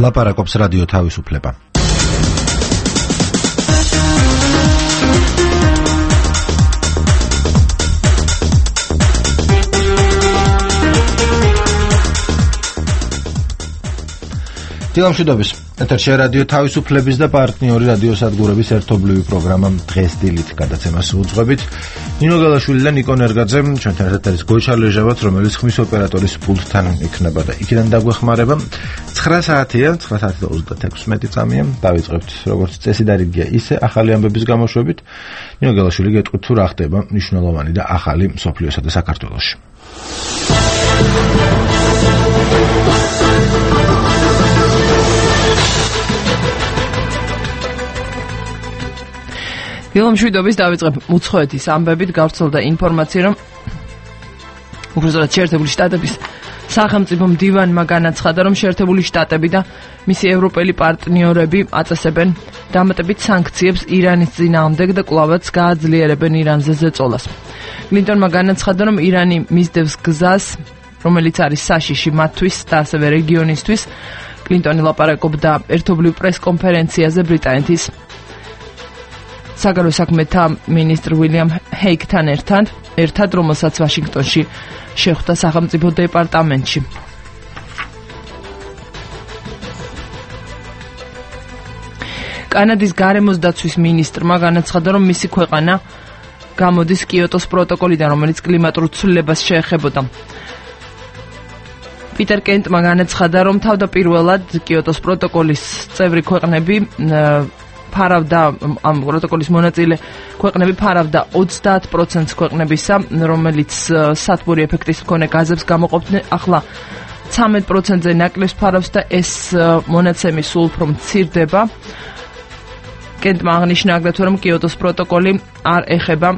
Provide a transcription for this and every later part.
ლაპარაკობს რადიო თავისუფლება. დილამშვიდობის. ეთერში რადიო თავისუფლების და პარტნიორი რადიო სადგურების ერთობლივი პროგრამა დღეს დილით გადაცემას უძღვებით. ნინო გალაშვილი და ნიკო ნერგაძე ჩვენთან ერთად არის გოჩა ლეჟავაც, რომელიც ხმის ოპერატორის პულტთან იქნება და იქიდან დაგვეხმარება. 9 საათია, 9:36 წამია. დავიწყებთ როგორც წესი და რიგია ისე ახალი ამბების გამოშვებით. ნინო გალაშვილი გეტყვით თუ რა ხდება მნიშვნელოვანი და ახალი მსოფლიოსა და საქართველოში. დილამშვიდობის დავიწყებ უცხოეთის ამბებით. გავრცელდა ინფორმაცია, რომ უბრალოდ შეერთებული შტატების სახელმწიფო მდივანმა განაცხადა, რომ შეერთებული შტატები და მისი ევროპელი პარტნიორები აწესებენ დამატებით სანქციებს ირანის წინააღმდეგ და კვლავაც გააძლიერებენ ირანზე ზეწოლას. კლინტონმა განაცხადა, რომ ირანი მისდევს გზას, რომელიც არის საშიში მათთვის და ასევე რეგიონისთვის. კლინტონი ლაპარაკობდა ერთობლივ პრესკონფერენციაზე ბრიტანეთის საგარეო საქმეთა მინისტრ უილიამ ჰეიგთან ერთად, რომელსაც ვაშინგტონში შეხვდა სახელმწიფო დეპარტამენტში. კანადის გარემოს დაცვის მინისტრმა განაცხადა, რომ მისი ქვეყანა გამოდის კიოტოს პროტოკოლიდან, რომელიც კლიმატურ ცვლილებას შეეხებოდა. პიტერ კენტმა განაცხადა, რომ თავდაპირველად კიოტოს პროტოკოლის წევრი ქვეყნები ამ პროტოკოლის მონაწილე ქვეყნები ფარავდა 30% ქვეყნებისა, რომელიც სათბური ეფექტის მქონე გაზებს გამოყოფდნენ. ახლა 13%-ზე ნაკლებს ფარავს და ეს მონაცემი სულ უფრო მცირდება. კენტმა აღნიშნა აგრეთვე, რომ კიოტოს პროტოკოლი არ ეხება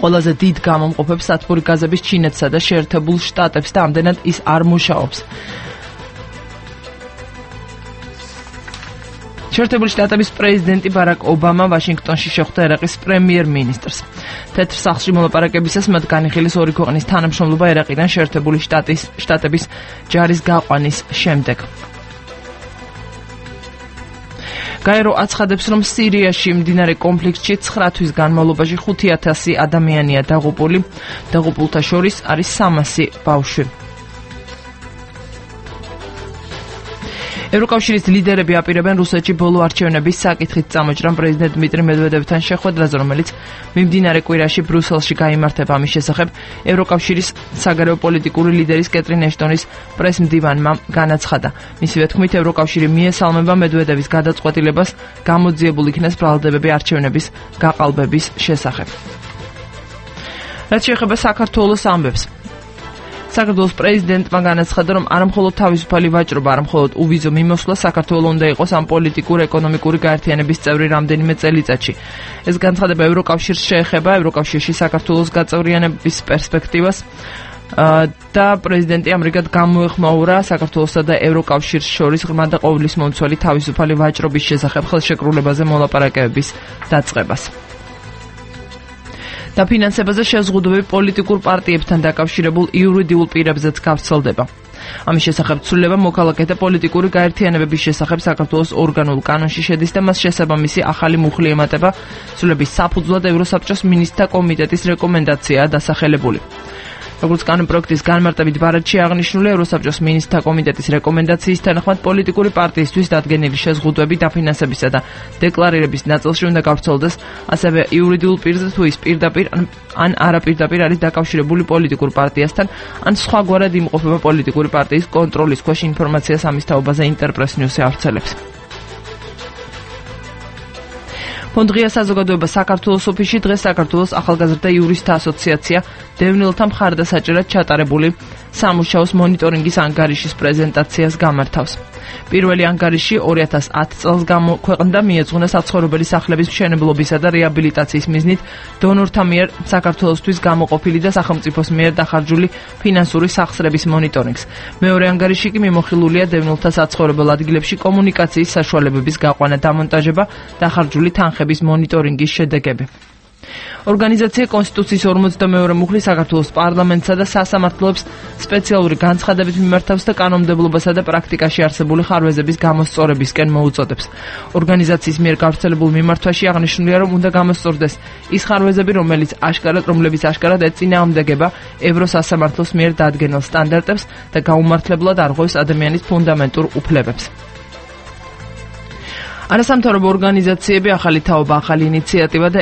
ყველაზე დიდ გამომყოფებს სათბური გაზების ჩინეთსა და შეერთებულ შტატებს და ამდენად ის არ მუშაობს. შეერთებული შტატების პრეზიდენტი ბარაკ ობამა ვაშინგტონში შეხვდა ერაყის პრემიერ-მინისტრს. თეთრ სახლში მოლაპარაკებისას მათ განიხილეს ორი ქვეყნის თანამშრომლობა ერაყიდან შეერთებული შტატების ჯარის გაყვანის შემდეგ. გაერო აცხადებს, რომ სირიაში მდინარე კონფლიქტში 9 თვის განმავლობაში 5,000 ადამიანია დაღუპული. დაღუპულთა შორის არის 300 ბავშვი. ევროკავშირის ლიდერები აპირებენ რუსეთში ბოლო არჩევნების საკითხით წამოჭრან პრეზიდენტ დმიტრი მედვედევთან შეხვედრაზე, რომელიც მიმდინარე კვირაში ბრიუსელში გაიმართება. ამის შესახებ ევროკავშირის საგარეო პოლიტიკური ლიდერის კეტრინ ეშტონის პრესმდივანმა განაცხადა. მისივე თქმით, ევროკავშირი მიესალმება მედვედევის გადაწყვეტილებას გამოძიებულ იქნეს ბრალდებები არჩევნების გაყალბების შესახებ. რაც შეეხება საქართველოს ამბებს. საქართველოს პრეზიდენტმა განაცხადა, რომ არამხოლოდ თავისუფალი ვაჭრობა, არამხოლოდ უვიზო მიმოსვლა საქართველოს უნდა იყოს ამ პოლიტიკურ-ეკონომიკური გაერთიანების წევრი რამდენიმე წელიწადში. ეს განცხადება ევროკავშირს შეეხება, ევროკავშირში საქართველოს გაწევრიანების პერსპექტივას და პრეზიდენტი ამრიგად გამოეხმაურა საქართველოსა და ევროკავშირს შორის ღრმა და ყოვლისმომცველი თავისუფალი ვაჭრობის შესახებ ხელშეკრულებაზე მოლაპარაკებების დაწყებას. დაფინანსებაზე შეზღუდვები პოლიტიკურ პარტიებთან დაკავშირებულ იურიდიულ პირებზეც გავრცელდება. ამის შესახებ ცვლილება მოქალაქეთა პოლიტიკური გაერთიანებების შესახებ საქართველოს ორგანულ კანონში შედის და მას შესაბამისი ახალი მუხლი ემატება. ცვლილების საფუძვლად ევროსაბჭოს მინისტრთა კომიტეტის რეკომენდაციაა დასახელებული. როგორც კანონპროექტის განმარტებით ბარათში აღნიშნული, ევროსაბჭოს მინისტრთა კომიტეტის რეკომენდაციის თანახმად პოლიტიკური პარტიისთვის დადგენილი შეზღუდვები დაფინანსებისა და დეკლარირების ნაწილში უნდა გავრცელდეს ასევე იურიდიულ პირზე, თუ ის პირდაპირ ან არაპირდაპირ არის დაკავშირებული პოლიტიკურ პარტიასთან, ან სხვაგვარად იმყოფება პოლიტიკური პარტიის კონტროლის ქვეშ. ინფორმაციას ამის თაობაზე ინტერპრეს ნიუსი ავრცელებს. ფონდღია საზოგადოება საქართველოს ოფისში დღეს საქართველოს ახალგაზრდა იურისტთა ასოციაცია დევნილთა მხარდასაჭერად ჩატარებული სამუშაოს მონიტორინგის ანგარიშის პრეზენტაციას გამართავს. პირველი ანგარიში 2010 წელს გამოქვეყნდა, მიეძღვნა საცხოვრებელი სახლების მშენებლობისა და რეაბილიტაციის მიზნით დონორთა მიერ საქართველოსთვის გამოყოფილი და სახელმწიფოს მიერ დახარჯული ფინანსური სახსრების მონიტორინგს. მეორე ანგარიში კი მიმოხილულია დევნილთა საცხოვრებელ ადგილებში კომუნიკაციის საშუალებების გაყვანა, დამონტაჟება, დახარჯული თანხების მონიტორინგის შედეგები. ორგანიზაცია კონსტიტუციის 42 მუხლის საქართველოს პარლამენტსა და სასამართლოებს სპეციალური განცხადებით მიმართავს და კანონმდებლობასა და პრაქტიკაში არსებული ხარვეზების გამოსწორებისკენ მოუწოდებს. ორგანიზაციის მიერ გავრცელებულ მიმართვაში აღნიშნულია, რომ უნდა გამოსწორდეს ის ხარვეზები, რომლებიც აშკარად ეწინააღმდეგება ევროსასამართლოს მიერ დადგენილ სტანდარტებს და გაუმართლებლად არღვევს ადამიანის ფუნდამენტურ უფლებებს. არასამთავრობო ორგანიზაციები, ახალი თაობა, ახალი ინიციატივა და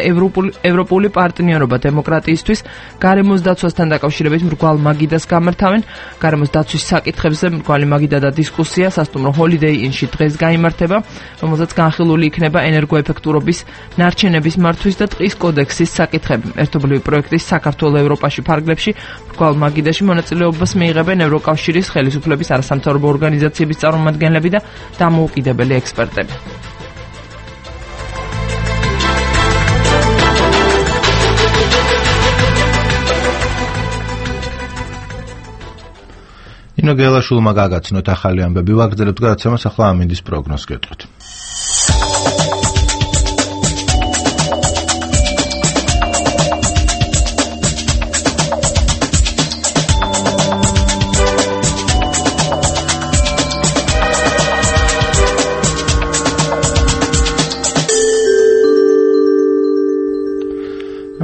ევროპული პარტნიორობა დემოკრატიისთვის გარემოს დაცვასთან დაკავშირებით მრგვალ მაგიდას გამართავენ. გარემოს დაცვის საკითხებზე მრგვალი მაგიდა და დისკუსია სასტუმრო Holiday Inn-ში დღეს გაიმართება, რომელზეც განხილული იქნება ენერგოეფექტურობის, ნარჩენების მართვის და ტყის კოდექსის საკითხები. ერთობლივი პროექტის საქართველოს ევროპაში ფარგლებში მრგვალ მაგიდაში მონაწილეობას მიიღებენ ევროკავშირის ხელისუფლების არასამთავრობო ორგანიზაციების წარმომადგენლები და დამოუკიდებელი ექსპერტები. ინო გელაშვილმა გაგაცნოთ ახალი ამბები, ვაგრძელებთ გადაცემას, ახლა ამინდის პროგნოზს გეტყვით.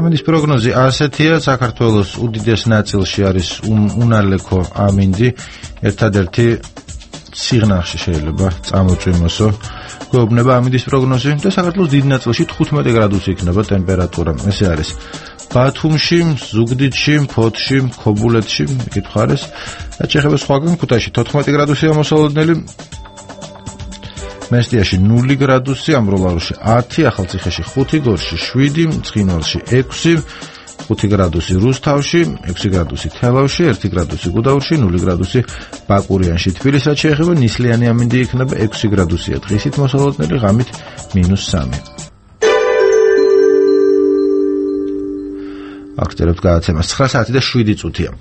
ამინდის პროგნოზი ასეთია, საქართველოს უდიდეს ნაწილში არის უნალექო ამინდი, ერთადერთი სიღნაღში შეიძლება წამოწვიმოსო. გვეუბნება ამინდის პროგნოზი და საქართველოს დიდ ნაწილში 15 გრადუსი იქნება ტემპერატურა. ესე არის ბათუმში, ზუგდიდში, ფოთში, ქობულეთში, მიკითხარეს და ჩეხების სხვაგან ქუთაისში 14 გრადუსია მოსალოდნელი. მესტიაში 0 გრადუსი, ამბროლაურში 10, ახალციხეში 5, გორში 7, ცხინვალში 6, 5 გრადუსი რუსთავში, 6 გრადუსი თელავში, 1 გრადუსი გუდაურში, 0 გრადუსი ბაკურიანში. თბილისსაც შეეხება ნისლიანი ამინდი იქნება 6 გრადუსია დღისით მოსალოდნელი, ღამით -3. აქცერებთ გადაცემას 9 საათი და 7 წუთია.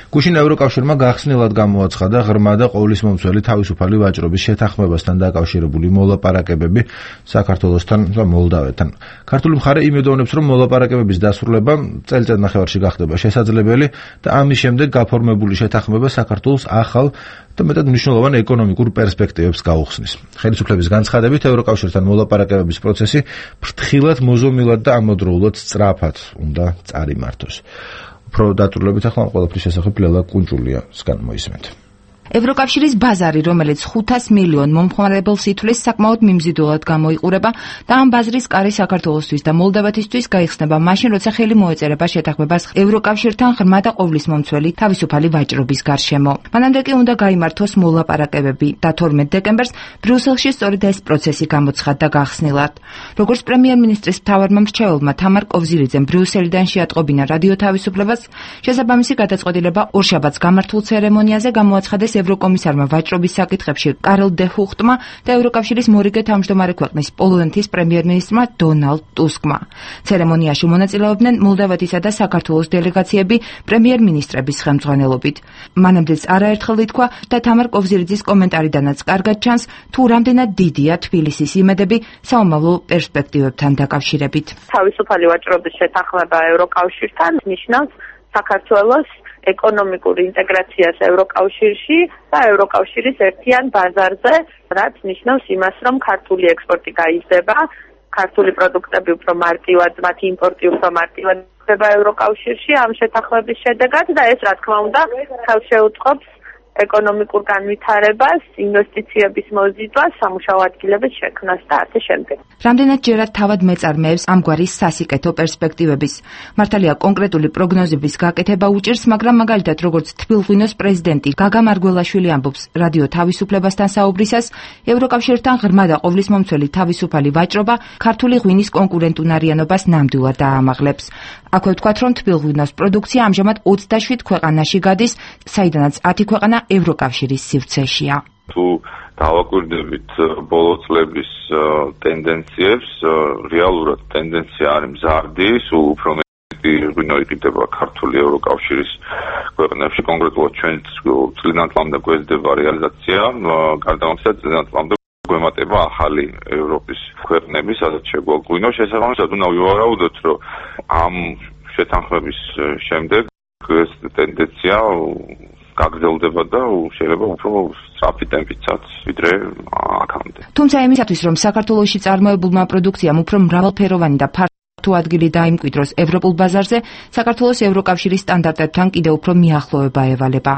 გუშინ ევროკავშირმა გახსნილად გამოაცხადა ღრმა და ყოვლისმომცველი თავისუფალი ვაჭრობის შეთანხმებასთან დაკავშირებული მოლაპარაკებები საქართველოსთან და მოლდავეთთან. ქართული მხარე იმედოვნებს, რომ მოლაპარაკებების დასრულება წელიწად ნახევარში გახდება შესაძლებელი და ამის შემდეგ გაფორმებული შეთანხმება საქართველოს ახალ და მეტად მნიშვნელოვან ეკონომიკურ პერსპექტივებს გაუხსნის. ხელისუფლების განცხადებით, ევროკავშირთან მოლაპარაკებების პროცესი ფრთხილად, მოზომილად და ამოდროულად სწრაფად უნდა წარიმართოს. უფრო დაწვრილებით ახლა ამ ყველაფრის შესახებ ლელა კუნჭულიასგან მოისმენთ. ევროკავშირის ბაზარი, რომელიც 500 მილიონ მომხმარებელს ითვლის, საკმაოდ მიმზიდულად გამოიყურება და ამ ბაზრის კარი საქართველოსთვის და მოლდავეთისთვის გაიხსნება მაშინ, როცა ხელი მოეწერება შეთანხმებას ევროკავშირთან ღრმა და ყოვლისმომცველი თავისუფალი ვაჭრობის გარშემო. მანამდე კი უნდა გაიმართოს მოლაპარაკებები და 12 დეკემბერს ბრიუსელში სწორედ ეს პროცესი გამოცხადდა გახსნილად. როგორც პრემიერ-მინისტრის მთავარმა მრჩეველმა თამარ კოვზირიძემ ბრიუსელიდან შეატყობინა რადიო თავისუფლებას, შესაბამისი გადაწყვეტილება ორშაბათს გამართულ ცერემონიაზე გამოაცხადეს ევროკომისარმა ვაჭრობის საკითხებში კარლ დე ჰუხტმა და ევროკავშირის მორიგე თავმჯდომარე ქვეყნის პოლონეთის პრემიერ-მინისტრმა დონალდ ტუსკმა. ცერემონიაში მონაწილეობდნენ მოლდავეთისა და საქართველოს დელეგაციები პრემიერ-მინისტრების ხელმძღვანელობით. მანამდეც არაერთხელ ითქვა და თამარ კოვზირიძის კომენტარიდანაც კარგად ჩანს, თუ რამდენად დიდია თბილისის იმედები საომავლო პერსპექტივებთან დაკავშირებით. თავისუფალი ვაჭრობის შეთანხმება ევროკავშირთან ნიშნავს საქართველოს ეკონომიკურ ინტეგრაციას ევროკავშირში და ევროკავშირის ერთიან ბაზარზე, რაც ნიშნავს იმას, რომ ქართული ექსპორტი გაიზრდება, ქართული პროდუქტები უფრო მარტივად, მათი იმპორტი უფრო მარტივად ხდება ევროკავშირში ამ შეთანხმების შედეგად და ეს, რა თქმა უნდა, ხელშეუწყობს ეკონომიკურ განვითარებას, ინვესტიციების მოზიდვას, სამუშაო ადგილების შექმნას და ასე შემდეგ. რამდენად ჯერად თავად მეწარმეებს ამგვარი სასიკეთო პერსპექტივების. მართალია კონკრეტული პროგნოზების გაკეთება უჭირს, მაგრამ მაგალითად როგორც თბილღვინოს პრეზიდენტი გაგა მარგველაშვილი ამბობს რადიო თავისუფლებასთან საუბრისას, ევროკავშირთან ღრმა და ყოვლისმომცველი თავისუფალი ვაჭრობა ქართული ღვინის კონკურენტუნარიანობას ნამდვილად დაამაღლებს. აქვე ვთქვათ, რომ თბილღვინოს პროდუქცია ამჟამად 27 ქვეყანაში გადის, საიდანაც 10 ქვეყანა ევროკავშირის სივრცეშია. თუ დავაკვირდებით ბოლო წლების ტენდენციებს, რეალურად ტენდენცია არის მზარდი, სულ უფრო მეტი ღვინო იყიდება ქართული ევროკავშირის ქვეყნებში, კონკრეტულად ჩვენ წლიდან წლამდე გვეძდება რეალიზაცია, გარდა ამისა წლიდან წლამდე გვემატება ახალი ევროპის ქვეყნები, სადაც შეგვაგვინო შესაბამისად უნდა ვივარაუდოთ, რომ ამ შეთანხმების შემდეგ ეს ტენდენცია გაგრძელდება და შეიძლება უფრო სწრაფი ტემპითაც ვიდრე აქამდე. თუმცა იმისათვის, რომ საქართველოში წარმოებულმა პროდუქციამ უფრო მრავალფეროვანი და თუ ადგილი დაიმკვიდროს ევროპულ ბაზარზე, საქართველოს ევროკავშირის სტანდარტებთან კიდევ უფრო მიახლოება ევალება.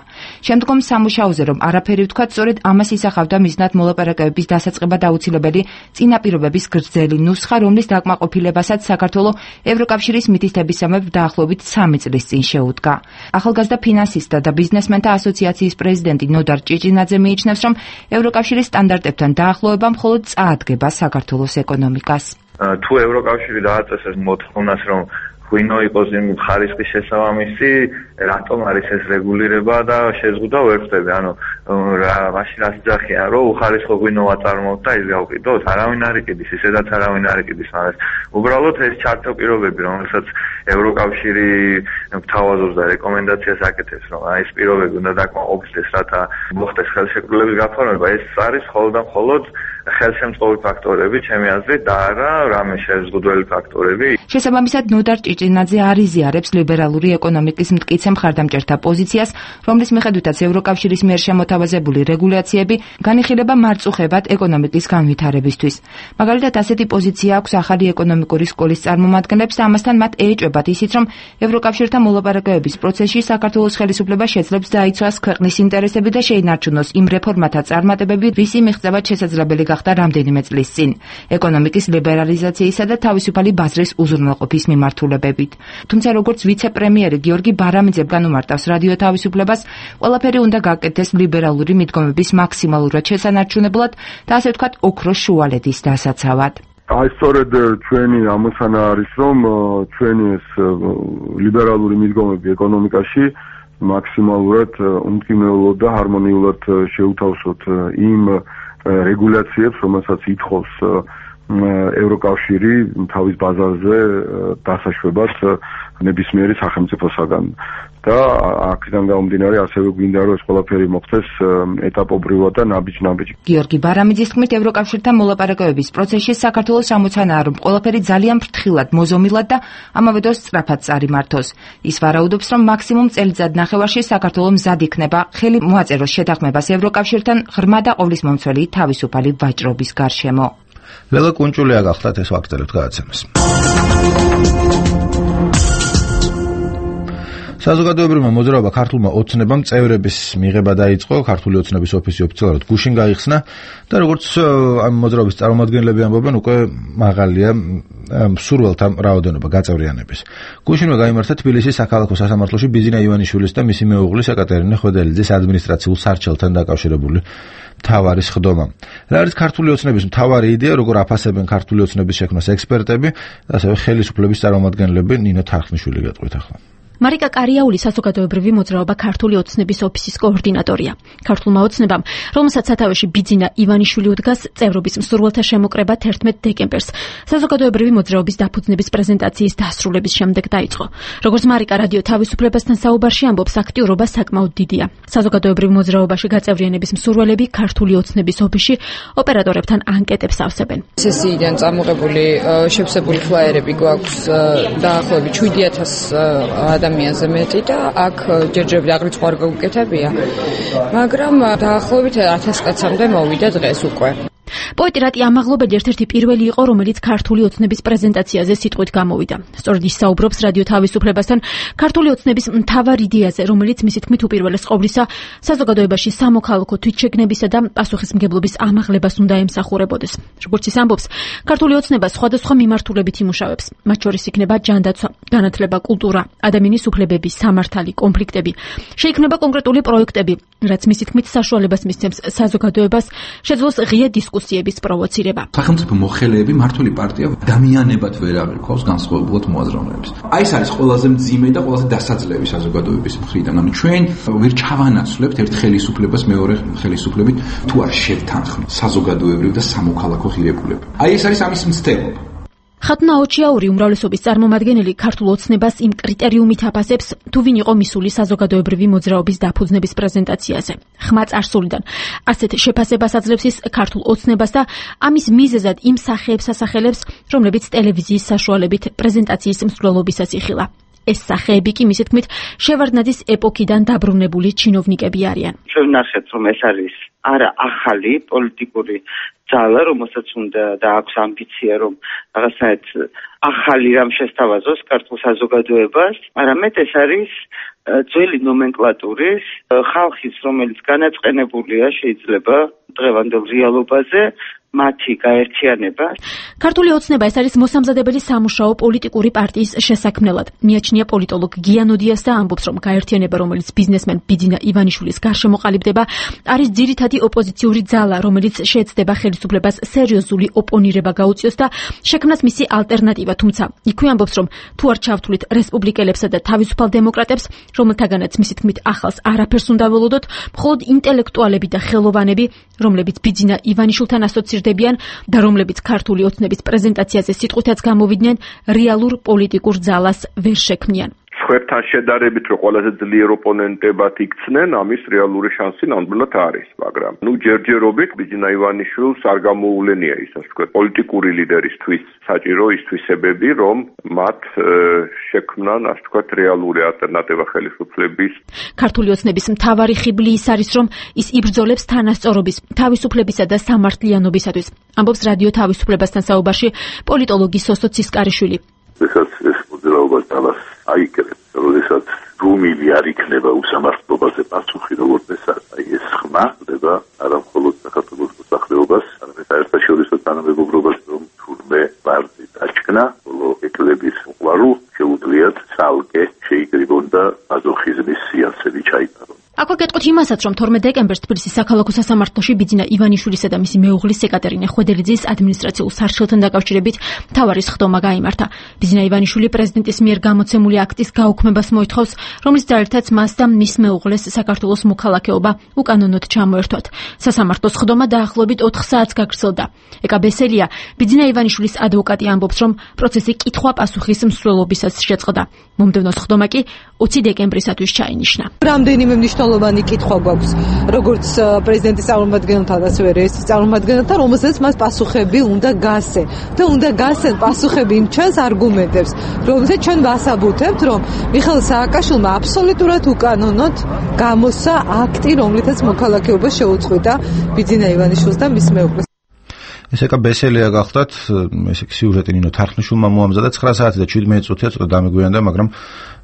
შემდგომ სამუშაოზე რომ არაფერი ვთქვათ, სწორედ ამას ისახავდა მიზნად მოლაპარაკებების დასაწყებად აუცილებელი წინაპირობების გრძელი ნუსხა, რომლის დაკმაყოფილებასაც საქართველო ევროკავშირის მითითებისამებრ დაახლოებით 3 წლის წინ შეუდგა. ახალგაზრდა ფინანსისტთა და ბიზნესმენთა ასოციაციის პრეზიდენტი ნოდარ ჭიჭინაძე მიიჩნევს, რომ ევროკავშირის სტანდარტებთან დაახლოება მხოლოდ წაადგება საქართველოს ეკონომიკას. თუ ევროკავშირი დააწესეს მოთხოვნას, რომ ღვინო იყოს იმ ხარისხის შესაბამისი, რატომ არის ეს რეგულირება და შეზღუდვა ვერ ხდება? ანუ მაშინ რაც ძახიან, რომ უხარისხო ღვინო ვაწარმოოთ და ის გავყიდოთ, არავინ არ იყიდის, ისედაც არავინ არ იყიდის, მაგრამ უბრალოდ ეს ჩართო პირობები, რომელსაც ევროკავშირი გთავაზობს და რეკომენდაციას აკეთებს, რომ აი ეს პირობები უნდა დაკმაყოფილდეს, რათა მოხდეს ხელშეკრულების გაფორმება, ეს არის მხოლოდ და მხოლოდ ხელშემწყობი ფაქტორები, ჩემი აზრით, და არა რამე შეზღუდველი ფაქტორები. შესაბამისად, ნოდარ ჭიჭინაძე არ იზიარებს ლიბერალური ეკონომიკის მტკიცე მხარდამჭერთა პოზიციას, რომლის მიხედვითაც ევროკავშირის მიერ შემოთავაზებული რეგულაციები განიხილება მარწუხებად ეკონომიკის განვითარებისთვის. მაგალითად, ასეთი პოზიცია აქვს ახალი ეკონომიკური სკოლის წარმომადგენლებს და ამასთან მათ ეეჭვებათ ისიც, რომ ევროკავშირთან მოლაპარაკებების პროცესში საქართველოს ხელისუფლება შეძლებს დაიცვას ქვეყნის ინტერესები და შეინარჩუნოს იმ რეფორმათა წარმატებები, რისი მიღწევაც შესაძლებელი გახდა რამდენიმე წლის წინ ეკონომიკის ლიბერალიზაციისა და თავისუფალი ბაზრის უზრუნველყოფის მიმართულებებით. თუმცა როგორც ვიცე-პრემიერი გიორგი ბარამიძე განუმარტავს რადიო თავისუფლებას, ყველაფერი უნდა გაკეთდეს ლიბერალური მიდგომების მაქსიმალურად შესანარჩუნებლად და ასე ვთქვათ, ოქროს შუალედის დასაცავად. აი სწორედ ჩვენი ამოცანა არის, რომ ჩვენი ეს ლიბერალური მიდგომები ეკონომიკაში მაქსიმალურად უმკინელოდ და ჰარმონიულად შეუთავსოთ იმ რეგულაციებს, რომელსაც ითხოვს ევროკავშირი თავის ბაზარზე დასაშვებას ნებისმიერი სახელმწიფოსაგან. და აქედან გამომდინარე ასევე გვინდა რომ ეს ყველაფერი მოხდეს ეტაპობრივად და ნაბიჯ-ნაბიჯ. გიორგი ბარამიძის თქმით, ევროკავშირთან მოლაპარაკებების პროცესში საქართველოს სამოცანაა, რომ ყველაფერი ძალიან ფრთხილად, მოზომილად და ამავე დროს სწრაფად წარიმართოს. ის ვარაუდობს, რომ მაქსიმუმ წელიწად ნახევარში საქართველო მზად იქნება ხელი მოაწეროს შეთანხმებას ევროკავშირთან ღრმა და ყოვლისმომცველი თავისუფალი ვაჭრობის გარშემო. ლელა კუნჭულია გახლავთ ეს ვაგრძელებთ გადაცემას. საზოგადოებრივმა მოძრაობა ქართულმა ოცნებამ წევრების მიღება დაიწყო, ქართული ოცნების ოფისი ოფიციალურად გუშინ გაიხსნა და როგორც ამ მოძრაობის წარმომადგენლები ამბობენ, უკვე მაღალია მსურველთა რაოდენობა გაწევრიანების. გუშინვე გაიმართა თბილისის საქალაქო სასამართლოში ბიზინა ივანიშვილის და მისი მეუღლის ეკატერინე ხვედელიძის ადმინისტრაციულ სარჩელთან დაკავშირებული მთავარი სხდომა. რა არის ქართული ოცნების მთავარი იდეა, როგორ აფასებენ ქართული ოცნების შექმნას ექსპერტები და ასევე ხელისუფლების წარმომადგენლები, ნინო თარხნიშვილი გეტყვით ახლა. მარიკა კარიაული საზოგადოებრივი მოძრაობა ქართული ოცნების ოფისის координаტორია. ქართულმა ოცნებამ, რომელსაც სათავეში ბიძინა ივანიშვილი უდგას, წევრობის მსურველთა შემოკრება 11 დეკემბერს საზოგადოებრივი მოძრაობის დაფუძნების პრეზენტაციის დასრულების შემდეგ დაიწყო. როგორც მარიკა რადიო თავისუფლებასთან საუბარში ამბობს, აქტიურობა საკმაოდ დიდია. საზოგადოებრივ მოძრაობაში გაწევრიანების მსურველები ქართული ოცნების ოფისში ოპერატორებთან ანკეტებს ავსებენ. სესიიდან წამოღებული შევსებული ფლაიერები გვაქვს დაახლოებით 7000 ადამიანზე მეტი და აქ ჯერჯერობით აღრიცხვა არ გაუკეთებია, მაგრამ დაახლოებით 1000 კაცამდე მოვიდა დღეს უკვე. პოეტი რატი ამაღლობელი ერთ-ერთი პირველი იყო, რომელიც ქართული ოცნების პრეზენტაციაზე სიტყვით გამოვიდა. სწორედ ის საუბრობს რადიო თავისუფლებასთან ქართული ოცნების მთავარ იდეაზე, რომელიც მისი თქმით უპირველეს ყოვლისა საზოგადოებაში სამოქალაქო თვითშეგნებისა და პასუხისმგებლობის ამაღლებას უნდა ემსახურებოდეს. როგორც ის ამბობს, ქართული ოცნება სხვადასხვა მიმართულებით იმუშავებს. მათ შორის იქნება ჯანდაცვა, განათლება, კულტურა, ადამიანის უფლებები, სამართალი, კონფლიქტები. შეიქმნება კონკრეტული პროექტები, რაც მისი თქმით საშუალებას მისცემს საზოგადოებას შეძლოს ღია დისკუსიების პროვოცირება. სახელმწიფო მოხელეები მართული პარტია ადამიანებად ვერ აღიქვავს განსხვავებულად მოაზროვნეებს. აი ეს არის ყველაზე მძიმე და ყველაზე დასაძლევი საზოგადოების მხრიდან. ანუ ჩვენ ვერ ჩავანაცვლებთ ერთ ხელისუფლებას მეორე ხელისუფლებით თუ არ შევთანხმდით საზოგადოებრივ და სამოქალაქო ღირებულება. აი ეს არის ამის მცდელობა. ხათუნა ოჩიაური უმრავლესობის წარმომადგენელი ქართულ ოცნებას იმ კრიტერიუმით აფასებს, თუ ვინ იყო მისული საზოგადოებრივი მოძრაობის დაფუძნების პრეზენტაციაზე. ხმა წარსულიდან ასეთ შეფასებას აძლევს ის ქართულ ოცნებას და ამის მიზეზად იმ სახეებს ასახელებს, რომლებიც ტელევიზიის საშუალებით პრეზენტაციის მსვლელობისას იხილა. ეს სახეები კი მისი თქმით შევარდნაძის ეპოქიდან დაბრუნებული ჩინოვნიკები არიან. შევნახეთ, რომ ეს არის არა ახალი პოლიტიკური ძალა, რომელსაც უნდა და აქვს ამბიცია, რომ რაღაცნაირად ახალი რამ შესთავაზოს ქართულ საზოგადოებას, არამედ ეს არის ძველი ნომენკლატურის ხალხის, რომელიც განაწყენებულია შეიძლება დღევანდელ რეალობაზე, მათი გაერთიანება. ქართული ოცნება ეს არის მოსამზადებელი სამუშაო პოლიტიკური პარტიის შესაქმნელად. მიაჩნია პოლიტოლოგ გიანოდიას და ამბობს, რომ გაერთიანება, რომელიც ბიზნესმენ ბიძინა ივანიშვილის გარშემო ყალიბდება, არის ძირითადი ოპოზიციური ძალა, რომელიც შეეცდება ხელისუფლებას სერიოზული ოპონირება გაუწიოს და შექმნას მისი ალტერნატივა, თუმცა იქვე ამბობს, რომ თუ არ ჩავთვლით რესპუბლიკელებსა და თავისუფალ დემოკრატებს, რომელთაგანაც მისი თქმით ახალს არაფერს უნდა ველოდოთ, მხოლოდ ინტელექტუალები და ხელოვანები, რომლებიც ბიძინა ივანიშვილთან ასოცირდებიან და რომლებიც ქართული ოცნების პრეზენტაციაზე სიტყვითაც გამოვიდნენ, რეალურ პოლიტიკურ ძალას ვერ შექმნიან. სხვებთან შედარებით, რომ ყველაზე ძლიერ ოპონენტებად იქცნენ, ამის რეალური შანსი ნამდვილად არის, მაგრამ ჯერჯერობით ბიძინა ივანიშვილს არ გამოუვლენია ის, ასე ვთქვათ, პოლიტიკური ლიდერისთვის საჭირო ის თვისებები, რომ მათ შექმნან, ასე ვთქვათ, რეალური ალტერნატივა ხელისუფლების. ქართული ოცნების მთავარი ხიბლი ის არის, რომ ის იბრძოლებს თანასწორობის, თავისუფლებისა და სამართლიანობისათვის. ამბობს რადიო თავისუფლებასთან საუბარში პოლიტოლოგი სოსო ცისკარიშვილი. ეს მოძრაობა ძალას აიკრებს, როდესაც რუმილი არ იქნება უსამართლობაზე პასუხი, როგორც ეს ეს ხმა ხდება არა მხოლოდ საქართველოს მოსახლეობას, არამედ საერთაშორისო თანამეგობრობას, რომ თურმე ვარდი დაჩქნა, ბოლო ეკლების უყვარულ შეუძლიათ ცალკე შეიკრიბონ და მაზოხიზმის სიასები ჩაიტარონ. აქვე გეტყვით იმასაც, რომ 12 დეკემბერს თბილისის საქალაქო სასამართლოში ბიძინა ივანიშვილისა და მისი მეუღლის ეკატერინე ხვედელიძის ადმინისტრაციულ სარჩელთან დაკავშირებით მთავარი სხდომა გაიმართა. ბიძინა ივანიშვილი პრეზიდენტის მიერ გამოცემული აქტის გაუქმებას მოითხოვს, რომლის ძალითაც მას და მის მეუღლეს საქართველოს მოქალაქეობა უკანონოდ ჩამოერთვათ. სასამართლოს სხდომა დაახლოებით 4 საათს გაგრძელდა. ეკა ბესელია, ბიძინა ივანიშვილის ადვოკატი ამბობს, რომ პროცესი კითხვა-პასუხის მსვლელობისას შეწყდა. მომდევნო სხდომა კი 20 დეკემბრისათვის ჩაინიშნა. რამდენიმე მნიშვნელოვანი კითხვა გვაქვს, როგორც პრეზიდენტის წარმომადგენელთან, ასევე რესის წარმომადგენელთან, რომელსაც მას პასუხები უნდა გასცენ. და უნდა გასცენ პასუხები იმ ჩვენს არგუმენტებს, რომელსაც ჩვენ ვასაბუთებთ, რომ მიხეილ სააკაშვილმა აბსოლუტურად უკანონოდ გამოსცა აქტი, რომლითაც მოქალაქეობა შეუწყვეტა ბიძინა ივანიშვილს და მის მეუღლეს. ეს ეკა ბესელია გახდათ, ეს სიუჟეტი ნინო თარხნიშვილმა მოამზადა 9 საათი და 17 წუთია, ცოტა დამეგვიანდა, მაგრამ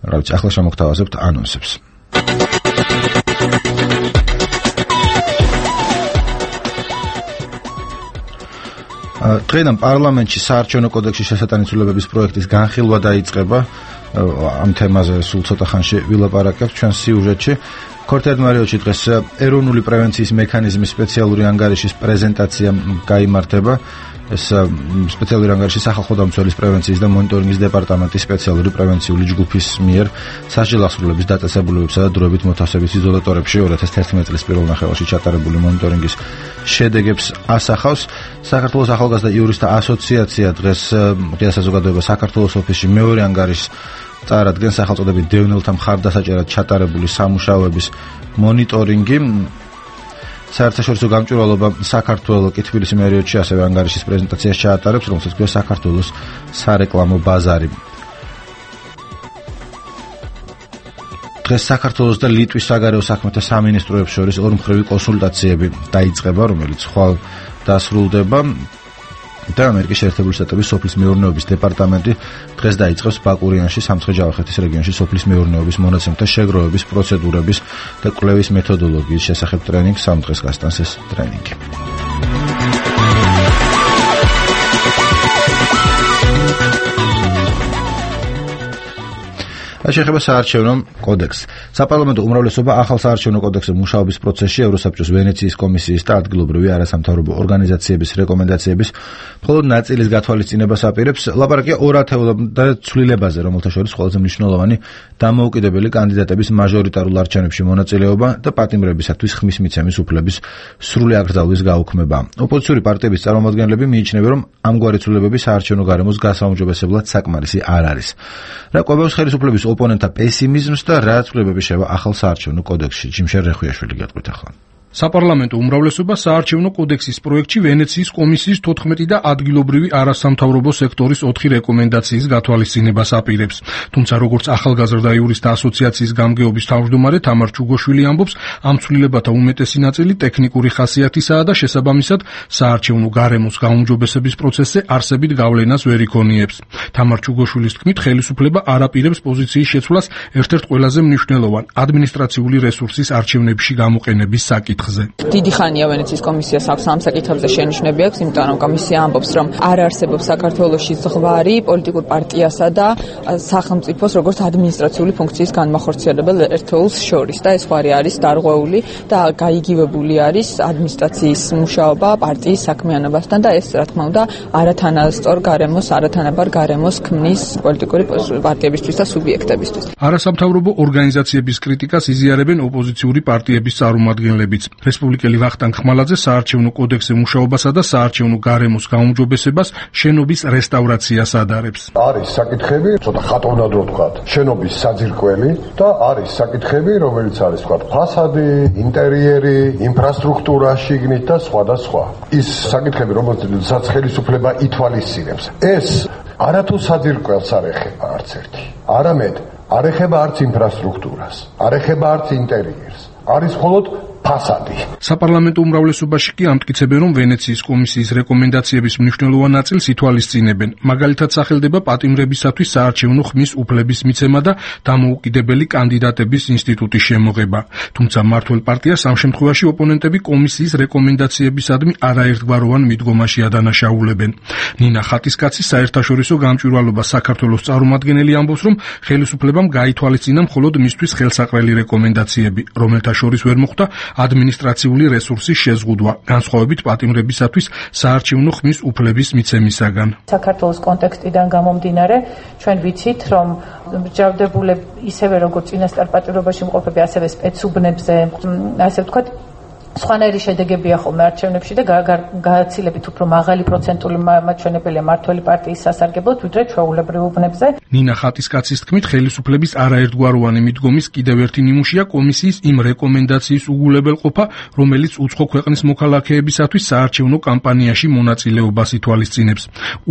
რა ვიცი, ახლა შემოგთავაზებთ ანონსებს. დღეიდან პარლამენტში საარჩევნო კოდექსის შესატანისულებების პროექტის განხილვა დაიწყება. ამ თემაზე სულ ცოტა ხანში ვილაპარაკებთ ჩვენ სიუჟეტში. ქორთერდმარიოში დღეს ეროვნული პრევენციის მექანიზმის სპეციალური ანგარიშის პრეზენტაცია გაიმართება. ეს სპეციალური ანგარიში სახალხო დამცველის პრევენციის და მონიტორინგის დეპარტამენტის სპეციალური პრევენციული ჯგუფის მიერ სასჯელ აღსრულების დაწესებულებებსა და დროებით მოთავსების იზოლატორებში 2011 წლის პირველ ნახევარში ჩატარებული მონიტორინგის შედეგებს ასახავს. საქართველოს ახალგაზრდა იურისტთა ასოციაცია დღეს ღია საზოგადოება საქართველოს ოფისში მეორე ანგარიშს წარადგენს სახელწოდებით დევნილთა მხარდასაჭერად ჩატარებული სამუშაოების მონიტორინგი. საერთაშორისო გამჭვირვალობა საქართველოს კი თბილისის მერიოდში ასევე ანგარიშის პრეზენტაციას ჩაატარებს, რომელსაც ქვია საქართველოს სარეკლამო ბაზარი. დღეს საქართველოს და ლიტვის საგარეო საქმეთა სამინისტროებს შორის ორმხრივი კონსულტაციები დაიწყება, რომელიც ხვალ დასრულდება. და ამერიკის შეერთებული შტატების სოფლის მეურნეობის დეპარტამენტი დღეს დაიწყებს ბაკურიანში, სამცხე-ჯავახეთის რეგიონში სოფლის მეურნეობის მონაცემთა შეგროვების პროცედურების და კვლევის მეთოდოლოგიის შესახებ ტრენინგს. 3 დღეს გასტანს ეს ტრენინგი. რაც შეეხება საარჩევნო კოდექსს. საპარლამენტო უმრავლესობა ახალ საარჩევნო კოდექსზე მუშაობის პროცესში ევროსაბჭოს ვენეციის კომისიის და ადგილობრივი არასამთავრობო ორგანიზაციების რეკომენდაციების მხოლოდ ნაწილის გათვალისწინებას აპირებს. ლაპარაკია ორ ათეულამდე ცვლილებაზე, რომელთა შორის ყველაზე მნიშვნელოვანი დამოუკიდებელი კანდიდატების მაჟორიტარულ არჩევნებში მონაწილეობა და პატიმრებისათვის ხმის მიცემის უფლების სრული აკრძალვის გაუქმება. ოპოზიციური პარტიების წარმომადგენლები მიიჩნევენ, რომ ამგვარი ცვლილებები საარჩევნო გარემოს გასაუმჯობესებლად საკმარისი არ არის. რა კვებავს ხელისუფლების ოპონენტთა პესიმიზმს და რა ცვლილებები შევა ახალ საარჩევნო კოდექსში? ჯიმშერ რეხვიაშვილი გეტყვით ახლა. საპარლამენტო უმრავლესობა საარჩევნო კოდექსის პროექტში ვენეციის კომისიის 14 და ადგილობრივი არასამთავრობო სექტორის 4 რეკომენდაციის გათვალისწინებას აპირებს. თუმცა როგორც ახალგაზრდა იურისტთა ასოციაციის გამგეობის თავმჯდომარე თამარ ჩუგოშვილი ამბობს, ამ ცვლილებათა უმეტესი ნაწილი ტექნიკური ხასიათისაა და შესაბამისად საარჩევნო გარემოს გაუმჯობესების პროცესზე არსებით გავლენას ვერ იქონიებს. თამარ ჩუგოშვილის თქმით, ხელისუფლება არ აპირებს პოზიციის შეცვლას ერთ-ერთ ყველაზე მნიშვნელოვან ადმინისტრაციული რესურსის არჩევნებში გამოყენების საკითხს. დიდი ხანია ვენეციის კომისიას აქვს ამ საკითხებზე შენიშვნები აქვს, იმიტომ რომ კომისია ამბობს, რომ არ არსებობს საქართველოში ზღვარი პოლიტიკურ პარტიასა და სახელმწიფოს როგორც ადმინისტრაციული ფუნქციის განმახორციელებელ ერთეულს შორის და ეს ზღვარი არის დარღვეული და გაიგივებული არის ადმინისტრაციის მუშაობა პარტიის საქმიანობასთან და ეს რა თქმა უნდა არათანასწორ გარემოს, არათანაბარ გარემოს ქმნის პოლიტიკური პარტიებისთვის და სუბიექტებისთვის. არასამთავრობო ორგანიზაციების კრიტიკას იზიარებენ ოპოზიციური პარტიების წარმომადგენლებიც. რესპუბლიკელი ვახტანგ ხმალაძე საარჩევნო კოდექსზე მუშაობასა და საარჩევნო გარემოს გაუმჯობესებას შენობის რესტავრაციას ადარებს. არის საკითხები, ცოტა ხატოვნად რო ვთქვათ, შენობის საძირკველი და არის საკითხები, რომელიც არის ვთქვათ, ფასადი, ინტერიერი, ინფრასტრუქტურა შიგნით და სხვა და სხვა. ის საკითხები, რომელსაც ხელისუფლება ითვალისწინებს. ეს არათუ საძირკველს არ ეხება არც ერთი. არამედ არ ეხება არც ინფრასტრუქტურას, არ ეხება არც ინტერიერს. არის მხოლოდ ფასადი. საპარლამენტო უმრავლესობაში კი ამტკიცებენ, რომ ვენეციის კომისიის რეკომენდაციების მნიშვნელოვან ნაწილს ითვალისწინებენ. მაგალითად, სახელდება პატიმრებისათვის საარჩევნო ხმის უფლების მიცემა და დამოუკიდებელი კანდიდატების ინსტიტუტის შემოღება. თუმცა მმართველ პარტიას ამ შემთხვევაში ოპონენტები კომისიის რეკომენდაციებისადმი არაერთგვაროვან მიდგომაში ადანაშაულებენ. ნინა ხატისკაცი საერთაშორისო გამჭვირვალობა საქართველოს წარმომადგენელი ამბობს, რომ ხელისუფლებამ გაითვალისწინა მხოლოდ მისთვის ხელსაყრელი რეკომენდაციები, რომელთა შორის ვერ მოხვდა ადმინისტრაციული რესურსის შეზღუდვა, განსხვავებით პატიმრებისათვის საარჩევნო ხმის უფლების მიცემისაგან. საქართველოს კონტექსტიდან გამომდინარე, ჩვენ ვიცით, რომ მსჯავრდებულები ისევე როგორც წინასწარ პატიმრობაში მყოფები, ასევე სპეცუბნებზე, ასე ვთქვათ, სხვანაირი შედეგებია ხოლმე არჩევნებში და გააცილებით უფრო მაღალი პროცენტული მაჩვენებელია მმართველი პარტიის სასარგებლოდ, ვიდრე ჩვეულებრივ უბნებზე. ნინა ხატისკაცის თქმით, ხელისუფლების არაერთგვაროვანი მიდგომის კიდევ ერთი ნიმუშია კომისიის იმ რეკომენდაციის უგულებელყოფა, რომელიც უცხო ქვეყნის მოქალაქეებისათვის საარჩევნო კამპანიაში მონაწილეობას ითვალისწინებს.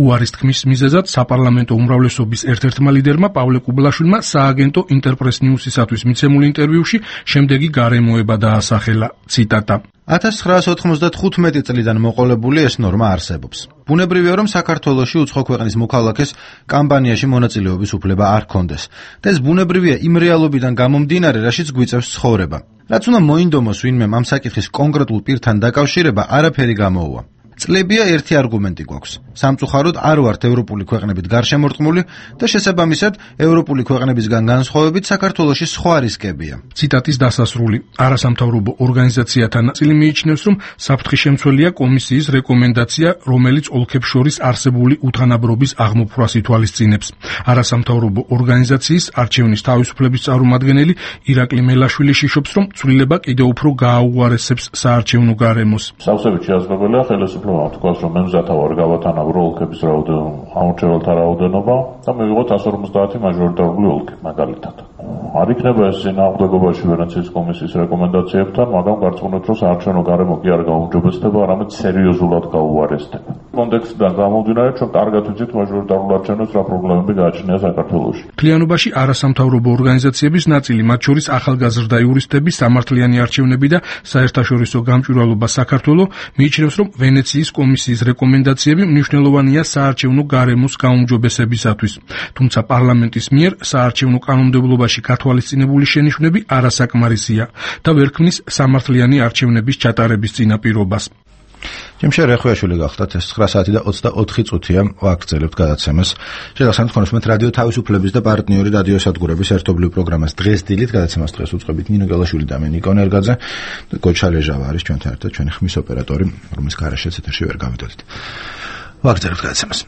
უარის თქმის მიზეზად საპარლამენტო უმრავლესობის ერთ-ერთმა ლიდერმა პავლე კუბლაშვილმა სააგენტო ინტერპრეს ნიუსისათვის მიცემულ ინტერვიუში შემდეგი გარემოება დაასახელა. ციტატა: 1995 წლიდან მოყოლებული ეს ნორმა არსებობს. ბუნებრივია, რომ საქართველოში უცხო ქვეყნის მოქალაქეს კამპანიაში მონაწილეობის უფლება არ ჰქონდეს. და ეს ბუნებრივია იმ რეალობიდან გამომდინარე, რაშიც გვიწევს ცხოვრება. რაც უნდა მოინდომოს ვინმე ამ საკითხის კონკრეტულ პირთან დაკავშირება, არაფერი გამოუვა. წლებია ერთი არგუმენტი გვაქვს. სამწუხაროდ არ ვართ ევროპული ქვეყნებით გარშემორტყმული და შესაბამისად ევროპული ქვეყნებისგან განსხვავებით საქართველოში სხვა რისკებია. ციტატის დასასრული. არასამთავრობო ორგანიზაციათა ნაწილი მიიჩნევს, რომ საფრთხის შემცველია კომისიის რეკომენდაცია, რომელიც ოლქებს შორის არსებული უთანაბრობის აღმოფხვრას ითვალისწინებს. არასამთავრობო ორგანიზაციის არჩევნის თავისუფლების წარმომადგენელი ირაკლი მელაშვილი შიშობს, რომ ცვლილება კიდევ უფრო გააუარესებს საარჩევნო გარემოს. სავსებით შეასრულებელია ხელისუფლებამ თქვას, რომ მემზათავარ გავათანაბრო ოლქების ამორჩეველთა რაოდენობა და მივიღოთ 150 მაჟორიტარული ოლქი მაგალითად. არ იქნება ეს წინააღმდეგობაში ვენეციის კომისიის რეკომენდაციებთან, მაგრამ გარწმუნოთ, რომ საარჩევნო გარემო კი არ გაუმჯობესდება, არამედ სერიოზულად გაუარესდება. კონტექსტიდან გამომდინარე, ჩვენ კარგად ვიცით მაჟორიტარულ არჩევნებს რა პრობლემები გააჩნია საქართველოში. მთლიანობაში არასამთავრობო ორგანიზაციების ნაწილი, მათ შორის ახალგაზრდა იურისტები, სამართლიანი არჩევნები და საერთაშორისო გამჭვირვალობა საქართველოს მიიჩნევს, რომ ვენეციის კომისიის რეკომენდაციები მნიშვნელოვანია საარჩევნო გარემოს გაუმჯობესებისათვის. თუმცა პარლამენტის მიერ საარჩევნო კანონმდებლობაში გათვალისწინებული შენიშვნები არასაკმარისია და ვერ ქმნის სამართლიანი არჩევნების ჩატარების წინაპირობას. ჯიმშე რეხვიაშვილი გახდათ, ეს 9 საათი და 24 წუთია ვაგრძელებთ გადაცემას. შეგახსენებთ ხონისმეთ რადიო თავისუფლების და პარტნიორი რადიოსადგურების ერთობლივ პროგრამას დღეს დილით გადაცემას დღეს უწყებით ნინო გელაშვილი და მე ნიკო ნერგაძე და გოჩა ლეჟავა არის ჩვენთან ერთად, ჩვენი ხმის ოპერატორი, რომლის გარეშეც ეთერში ვერ გავიდოდით. ვაგრძელებთ გადაცემას.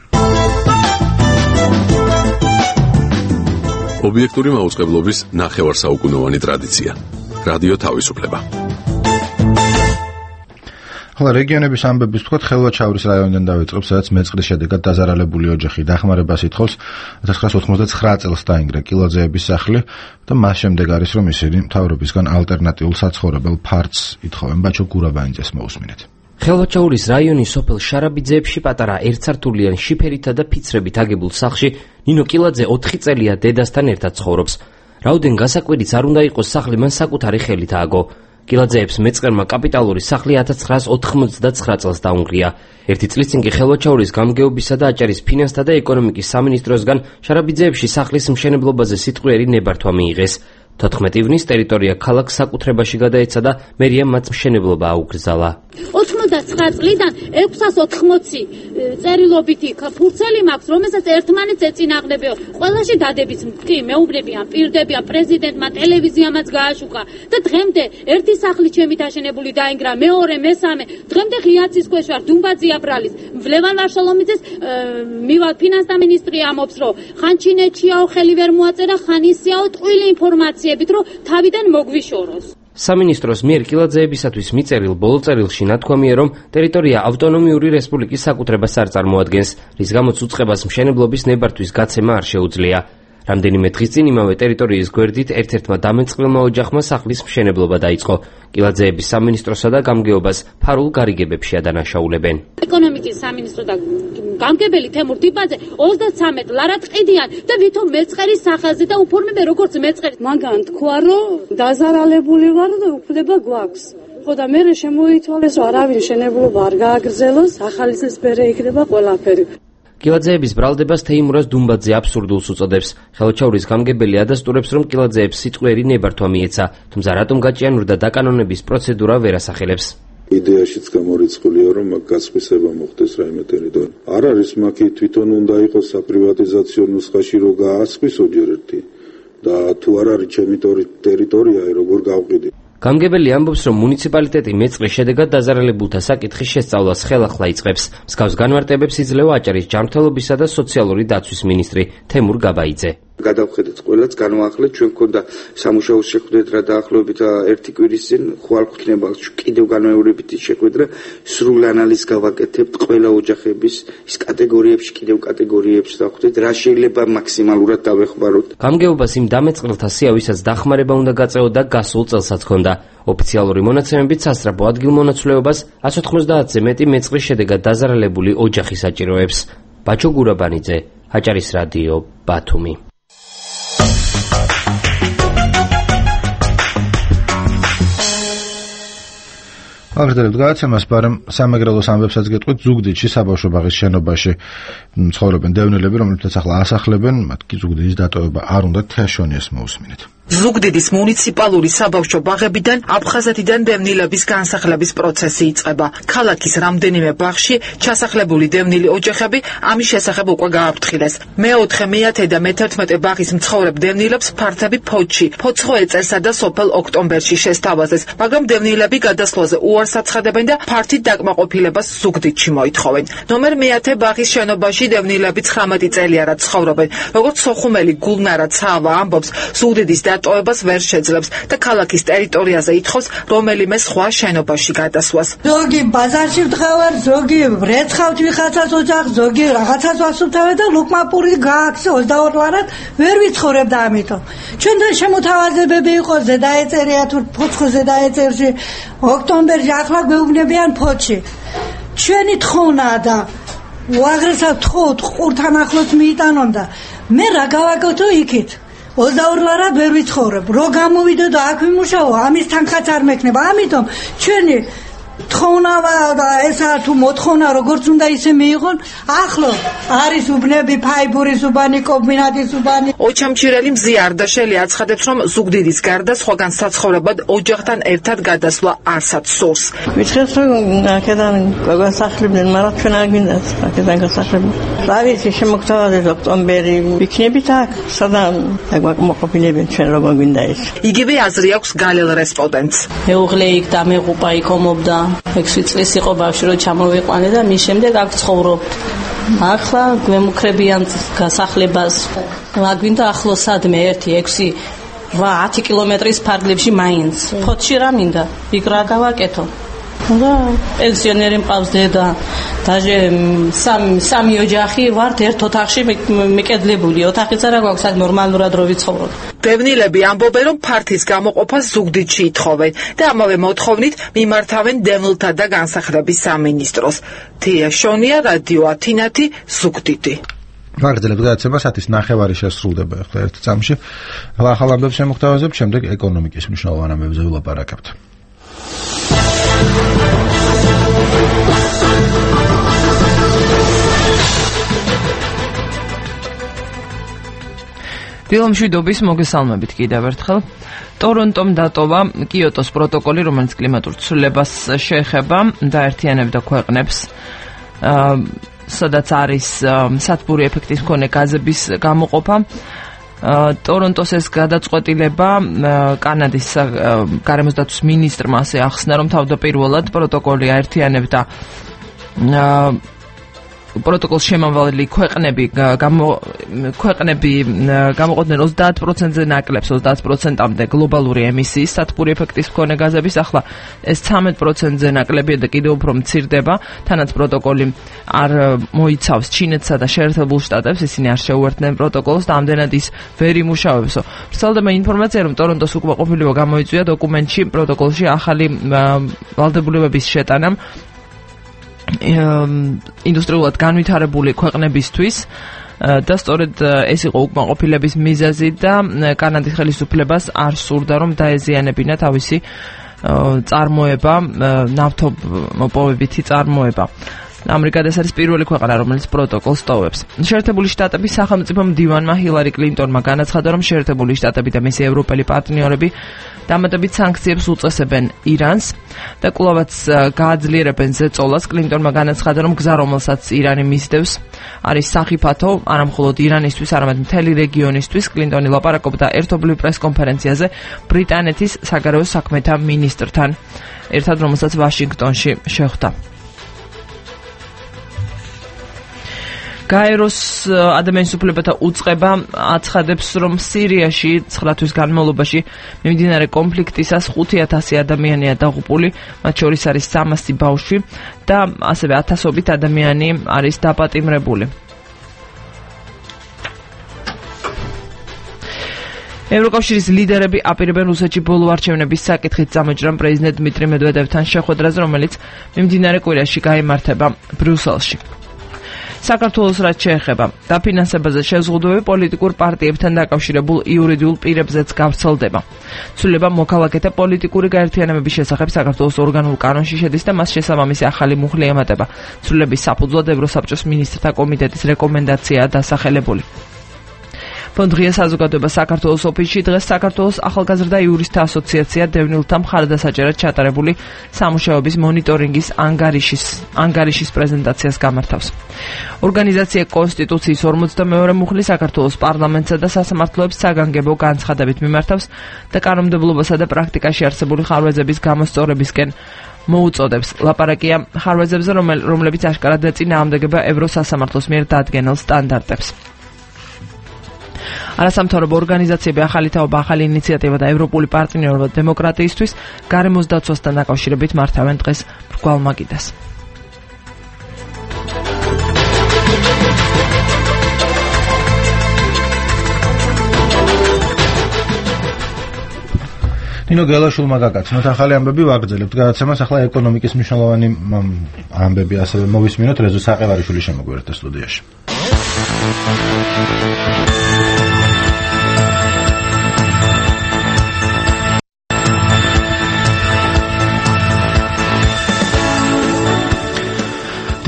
ობიექტური მაუწყებლობის ნახევარსაუკუნოვანი ტრადიცია. რადიო თავისუფლება. ხოლო რეგიონების ამბების ვთქვათ, ხელვაჩაურის რაიონიდან დავიწყებ, სადაც მეწყრის შედეგად დაზარალებული ოჯახი დახმარებას ითხოვს. 1999 წელს დაინგრა კილაძეების სახლი და მას შემდეგ არის, რომ ისინი მთავრობისგან ალტერნატიულ საცხოვრებელ ფართს ითხოვენ. ბაჩო გურაბანიძეს მოусმინეთ. ხელვაჩაურის რაიონის სოფელ შარაბიძეებში პატარა ერთსართულიან შიფერითა და ფიცრებით აგებულ სახლში ნინო კილაძე 4 წელია დედასთან ერთად ცხოვრობს. რაოდენ გასაკვირიც არ უნდა იყოს, სახლი მან საკუთარი ხელით ააგო. კილაძეებს მეწყერმა კაპიტალური სახლი 1999 წელს დაუნგრია. ერთი წლის წინ კი ხელვაჩაურის გამგეობისა და აჭარის ფინანსთა და ეკონომიკის სამინისტროსგან შარაბიძეებში სახლის მშენებლობაზე სიტყვიერი ნებართვა მიიღეს. 14 ივნის ტერიტორია ქალაქ საკუთრებაში გადაეცა და მერიამ მათ მშენებლობა აუკრძალა. 99 წლიდან 680 წერილობითი ფურცელი მაქვს, რომელსაც ერთმანეთს ეწინააღმდებიო. ყველაში დადებით კი მეუბნებიან, პირდებიან, პრეზიდენტმა ტელევიზიამაც გააშუქა და დღემდე ერთი სახლი ჩემი დაშენებული დაინგრა, მეორე, მესამე, დღემდე ღიაცის ქვეშ ვარ, დუმბაძე აბრალის. ლევან ვარშალომიძეს მივალ ფინანსთა მინისტრი ამობს, რომ ხან ჩინეთშიაო ხელი ვერ მოაწერა, ხან ისიაო ტყუილი ინფორმაცია რომ თავიდან მოგვიშოროს. სამინისტროს მიერ კილაძეებისათვის მიწერილ ბოლო წერილში ნათქვამია, რომ ტერიტორია ავტონომიური რესპუბლიკის საკუთრებას არ წარმოადგენს, რის გამოც უწყებას მშენებლობის ნებართვის გაცემა არ შეუძლია. რამდენიმე დღის წინ იმავე ტერიტორიის გვერდით ერთ-ერთმა დამეწყრილმა ოჯახმა სახლის მშენებლობა დაიწყო. კილაძეების სამინისტროსა და გამგეობას ფარულ გარიგებებში ადანაშაულებენ. ეკონომიკის სამინისტრო და გამგებელი თემურ დიბაძე 33 ლარად ყიდიან და ვითომ მეწყერის სახელზე და უფორმებენ როგორც მეწყერი. მაგან თქვა, რომ დაზარალებული ვარ და უფლება გვაქვს. ხო და მე შემოითვალეს, რომ არავინ შენებლობა არ გააგრძელოს, ახალი წლის მერე იქნება ყველაფერი. კილაძეების ბრალდებას თეიმურაზ დუმბაძე აბსურდულს უწოდებს. ხელვაჩაურის გამგებელი ადასტურებს, რომ კილაძეებს სიტყვიერი ნებართვა მიეცა, თუმცა რატომ გაჭიანურდა დაკანონების პროცედურა ვერ ასახელებს. იდეაშიც გამორიცხულია, რომ მაგ გასხვისება მოხდეს რაიმე ტერიტორია. არ არის მაგ თვითონ უნდა იყოს საპრივატიზაციო ნუსხაში, რომ გაასხვისო ჯერ ერთი და თუ არ არის ჩემი ტერიტორია, როგორ გავყიდი. გამგებელი ამბობს, რომ მუნიციპალიტეტი მეწყრის შედეგად დაზარალებულთა საკითხის შესწავლას ხელახლა იწყებს. მსგავს განმარტებებს იძლევა აჭარის ჯანმრთელობისა და სოციალური დაცვის მინისტრი თემურ გაბაიძე. გადავხედეთ ყველაც, განვაახლეთ, ჩვენ გქონდა სამუშაოს შეხვედრა დაახლოებით ერთი კვირის წინ, ხვალ გვქნება კიდევ განმეორებითი შეხვედრა, სრულ ანალიზს გავაკეთებთ ყველა ოჯახების ის კატეგორიებში, კიდევ კატეგორიებში დავხვდეთ, რა შეიძლება მაქსიმალურად დავეხმაროთ. გამგეობას იმ დამეწყრილთა სია, ვისაც დახმარება უნდა გაწეო და გასულ წელსაც ჰქონდა. ოფიციალური მონაცემებით სასწრაფო ადგილმონაცვლეობას 190-ზე მეტი მეწყრის შედეგად დაზარალებული ოჯახი საჭიროებს. ბაჩო გურაბანიძე, აჭარის რადიო, ბათუმი. აღწერებთ გადაცემას, მაგრამ სამეგრელოს ამბებსაც გეტყვით, ზუგდიდში საბავშვო ბაღის შენობაში ცხოვრობენ დევნილები, რომლებსაც ახლა ასახლებენ, მათ კი ზუგდიდის დატოვება არ უნდა. თეაშონიას მოусმინეთ. ზუგდიდის მუნიციპალური საბავშვო ბაღებიდან აფხაზეთიდან დევნილების განსახლების პროცესი იწყება. ქალაქის რამდენიმე ბაღში ჩასახლებული დევნილი ოჯახები ამის შესახებ უკვე გააფრთხილეს. მე-4, მე-10 და მე-11 ბაღის მცხოვრებ დევნილებს ფართები ფოთში, ფოცხოეწერსა და სოფელ ოქტომბერში შესთავაზეს, მაგრამ დევნილები გადასვლაზე უარს აცხადებენ და ფართით დაკმაყოფილებას ზუგდიდში მოითხოვენ. ნომერ მე-10 ბაღის შენობაში დევნილები 19 წელია ცხოვრობენ. როგორც სოხუმელი გულნარა ცავა ამბობს, ზუგდიდის დატოვებას ვერ შეძლებს და ქალაქის ტერიტორიაზე ითხოვს რომელიმე სხვა შენობაში გადასვლას. ზოგი ბაზარში ვდგავარ, ზოგი ვრეცხავთ ვიხაცას ოჯახს, ზოგი რაღაცას ვასუფთავე და ლუკმაპური გააქვს 22 ლარად ვერ ვიცხოვრებ და ამიტომ. ჩვენთან შემოთავაზებები იყო ზედაეწერია თუ ფოცხოზე დაეწერში, ოქტომბერში ახლა გვეუბნებიან ფოთში. ჩვენი თხოვნაა და უაღრესად თხოვთ ყურთან ახლოს მიიტანონ და მე რა გავაკეთო იქით? 22 ლარად ვერ ვიცხოვრებ. რო გამოვიდო და აქ ვიმუშაო, ამის თანხაც არ მექნება. ამიტომ ჩვენი თხოვნა და ესა თუ მოთხოვნა როგორც უნდა ისე მიიღონ. ახლო არის უბნები, ფაიბურის უბანი, კომბინატის უბანი. ოჩამჩირელი მზია არდაშელი აცხადებს, რომ ზუგდიდის გარდა სხვაგან საცხოვრებლად ოჯახთან ერთად გადასვლა არცად სურს. მითხეს რომ აქედან გასახლებდნენ, მაგრამ ჩვენ არ გვინდათ აქედან გასახლება. რა ვიცი, შემოგთავაზეთ ოქტომბერი ვიქნებით აქ, სადან მოყოფილებენ ჩვენ როგორ გვინდა ეს. იგივე აზრი აქვს გალელ რესპონდენტს. მეუღლე იქ დამეღუპა, იქ ომობდა. 6 წლის იყო ბავშვი, რომ ჩამოვიყვანე და მის შემდეგ აქ ცხოვრობ. ახლა გვემუქრებიან გასახლებას. რა გვინდა ახლოს სადმე 1-6-10 კილომეტრის ფარგლებში მაინც. ფოთში რა მინდა? იქ რა გავაკეთო? და პენსიონერი მყავს დედა, დაჟე სამი ოჯახი ვართ ერთ ოთახში მიკედლებული. ოთახიც არა გვაქვს, აქ ნორმალურად რო ვიცხოვრობ. დევნილები ამბობენ, რომ ფართის გამოყოფას ზუგდიდში ითხოვენ და ამავე მოთხოვნით მიმართავენ დევნილთა და განსახლების სამინისტროს. თია შონია, რადიო ათინათი, ზუგდიდი. ვაგრძელებთ გადაცემას 9:30 შესრულდება ახლა ერთ წამში. ახალ ამბებს შემოგთავაზებთ, შემდეგ ეკონომიკის მნიშვნელოვან ამბებზე ვილაპარაკებთ. დილომშვიდობის მოგესალმებით კიდევ ერთხელ. ტორონტომ დატოვა კიოტოს პროტოკოლი, რომელიც კლიმატურ ცვლილებას შეეხება და აერთიანებდა ქვეყნებს, სადაც არის სათბური ეფექტის მქონე გაზების გამოყოფა. ტორონტოს ეს გადაწყვეტილება კანადის გარემოსდაცვის მინისტრმა ასე ახსნა, რომ თავდაპირველად პროტოკოლი აერთიანებდა პროტოკოლს შემავალი ქვეყნები გამოყოფდნენ 30%-ზე ნაკლებს 30%-ამდე გლობალური ემისიის სათბური ეფექტის მქონე გაზების. ახლა ეს 13%-ზე ნაკლებია და კიდევ უფრო მცირდება, თანაც პროტოკოლი არ მოიცავს ჩინეთსა და შეერთებულ შტატებს, ისინი არ შეუერთდნენ პროტოკოლს და ამდენად ის ვერ იმუშავებსო. ვრცელდება ინფორმაცია, რომ ტორონტოს უკმაყოფილება გამოიწვია დოკუმენტში პროტოკოლში ახალი ვალდებულებების შეტანამ ინდუსტრიულად განვითარებული ქვეყნებისთვის და სწორედ ეს იყო უკმაყოფილების მიზეზი და კანადის ხელისუფლებას არ სურდა, რომ დაეზიანებინა თავისი წარმოება, ნავთობმოპოვებითი წარმოება. ამერიკა ეს არის პირველი ქვეყანა, რომელიც პროტოკოლს ტოვებს. შეერთებული შტატების სახელმწიფო მდივანმა ჰილარი კლინტონმა განაცხადა, რომ შეერთებული შტატები და მისი ევროპელი პარტნიორები დამატებით სანქციებს უწესებენ ირანს და კვლავაც გააძლიერებენ ზეწოლას. კლინტონმა განაცხადა, რომ გზა, რომელსაც ირანი მისდევს, არის სახიფათო არა მხოლოდ ირანისთვის, არამედ მთელი რეგიონისთვის. კლინტონი ლაპარაკობდა ერთობლივ პრესკონფერენციაზე ბრიტანეთის საგარეო საქმეთა მინისტრთან ერთად, რომელსაც ვაშინგტონში შეხვდა. გაეროს ადამიანის უფლებათა უწყება აცხადებს, რომ სირიაში 9 თვის განმავლობაში მიმდინარე კონფლიქტისას 5000 ადამიანია დაღუპული, მათ შორის არის 300 ბავშვი და ასევე 1000-ობით ადამიანი არის დაპატიმრებული. ევროკავშირის ლიდერები აპირებენ რუსეთში ბოლო არჩევნების საკითხით წამოჭრან პრეზიდენტ დმიტრი მედვედევთან შეხვედრაზე, რომელიც მიმდინარე კვირაში გაიმართება ბრიუსელში. საქართველოს რაც შეეხება დაფინანსებაზე შეზღუდვები პოლიტიკურ პარტიებთან დაკავშირებულ იურიდიულ პირებზეც გავრცელდება. ცვლილება მოქალაქეთა პოლიტიკური გაერთიანებების შესახებ საქართველოს ორგანულ კანონში შედის და მას შესაბამისი ახალი მუხლი ემატება. ცვლილების საფუძვლად ევროსაბჭოს მინისტრთა კომიტეტის რეკომენდაციაა დასახელებული. ფონდღია საზოგადოება საქართველოს ოფისში დღეს საქართველოს ახალგაზრდა იურისტთა ასოციაცია დევნილთა მხარდასაჭერად ჩატარებული სამუშაოების მონიტორინგის ანგარიშის პრეზენტაციას გამართავს. ორგანიზაცია კონსტიტუციის 42 მუხლი საქართველოს პარლამენტსა და სასამართლოებს საგანგებო განცხადებით მიმართავს და კანონმდებლობასა და პრაქტიკაში არსებული ხარვეზების გამოსწორებისკენ მოუწოდებს. ლაპარაკია ხარვეზებზე, რომლებიც აშკარად ეწინააღმდეგება ევროსასამართლოს მიერ დადგენილ სტანდარტებს. არასამთავრობო ორგანიზაციები ახალი თაობა, ახალი ინიციატივა და ევროპული პარტნიორობა დემოკრატიისთვის გარემოს დაცვასთან დაკავშირებით მართავენ დღეს მრგვალ მაგიდას. ნინო გელაშვილმა გაკაცნოთ ახალი ამბები, ვაგრძელებთ გადაცემას. ახლა ეკონომიკის მნიშვნელოვანი ამბები ასევე მოვისმინოთ. რეზო საყევარიშვილი შემოგვიერთდა სტუდიაში.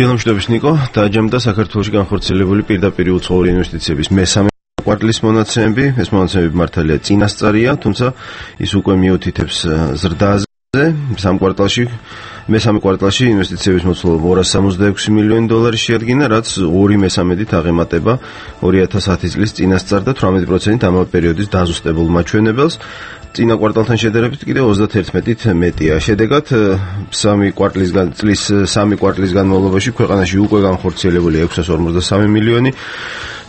დილამშვიდობის ნიკო, დააჯამდა საქართველოში განხორციელებული პირდაპირ უცხოური ინვესტიციების მესამე კვარტლის მონაცემები. ეს მონაცემები მართალია წინასწარია, თუმცა ის უკვე მიუთითებს ზრდაზე. მესამე კვარტალში ინვესტიციების მოცულობა 266 მილიონი დოლარი შეადგინა, რაც 2/13-ით აღემატება 2010 წლის წინასწარ და 18%-ით ამავე პერიოდის დაზუსტებულ მაჩვენებელს. წინა კვარტალთან შედარებით კიდევ 31%-ით მეტია. შედეგად წლის 3 კვარტლის განმავლობაში ქვეყანაში უკვე განხორციელებული 653 მილიონი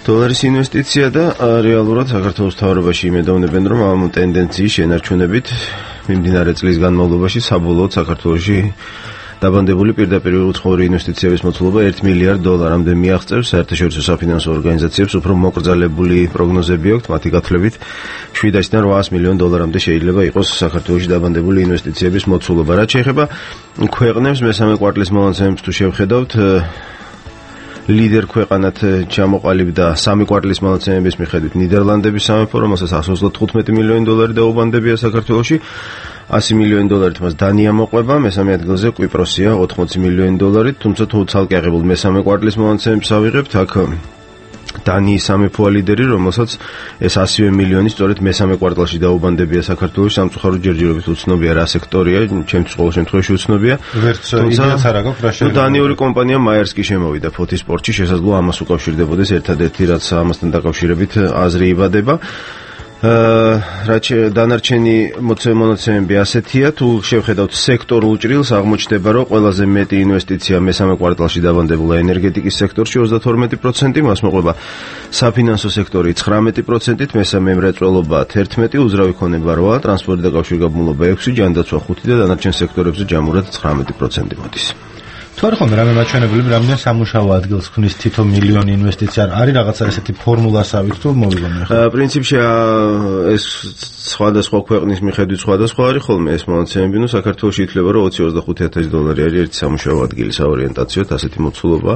დოლარის ინვესტიცია და რეალურად საქართველოს მთავრობაში იმედოვნებენ, რომ ამ ტენდენციის შენარჩუნებით მიმდინარე წლის განმავლობაში საბოლოოდ საქართველოში დაბანდებული პირდაპირ უცხოური ინვესტიციების მოცულობა 1 მილიარდ დოლარამდე მიაღწევს. საერთაშორისო საფინანსო ორგანიზაციებს უფრო მოკრძალებული პროგნოზები აქვთ, მათი გათვლებით 700-დან 800 მილიონ დოლარამდე შეიძლება იყოს საქართველოში დაბანდებული ინვესტიციების მოცულობა. რაც შეეხება ქვეყნებს მესამე კვარტლის მონაცემებს თუ შევხედავთ, ლიდერ ქვეყანად ჩამოყალიბდა 3 კვარტლის მონაცემების მიხედვით ნიდერლანდების სამეფო, რომელსაც 135 მილიონი დოლარი დაუბანდებია საქართველოში. 100 მილიონი დოლარით მას დანია მოყვება, მესამე ადგილზე კვიპროსია 80 მილიონი დოლარით, თუმცა თუ ცალკე აღებულ მესამე კვარტლის მონაცემებს ავიღებთ, აქ დანიის სამეფოა ლიდერი, რომელსაც ეს 100 მილიონი სწორედ მესამე კვარტალში დაუბანდებია საქართველოს. სამწუხაროდ ჯერჯერობით უცნობია რა სექტორია, ჩემთვის ყოველ შემთხვევაში უცნობია. თუმცა დანიური კომპანია მაიერსკი შემოვიდა ფოთის სპორტში, შესაძლოა ამას უკავშირდებოდეს ერთადერთი, რაც ამასთან დაკავშირებით აზრი იბადება. რაც დანარჩენი მონაცემები ასეთია, თუ შევხედავთ სექტორულ ჭრილს, აღმოჩნდება, რომ ყველაზე მეტი ინვესტიცია მესამე კვარტალში დაბანდებულა ენერგეტიკის სექტორში 32%, მას მოყვება საფინანსო სექტორი 19%-ით, მესამე მრეწველობა 11%, უძრავი ქონება 8%, ტრანსპორტი და კავშირგაბმულობა 6%, ჯანდაცვა 5% და დანარჩენ სექტორებზე ჯამურად 19% მოდის. თუ არ ხომ რამე მაჩვენებლები, რამდენ სამუშაო ადგილს ქმნის თითო მილიონი ინვესტიცია, არის რაღაცა ესეთი ფორმულასავით თუ მოვიგონე ხო? პრინციპში ეს სხვადასხვა ქვეყნის მიხედვით სხვადასხვა არის ხოლმე ეს მონაცემები, ნუ საქართველოში ითვლება, რომ 20-25 დოლარი არის ერთი სამუშაო ადგილი საორიენტაციოდ, ასეთი მოცულობა.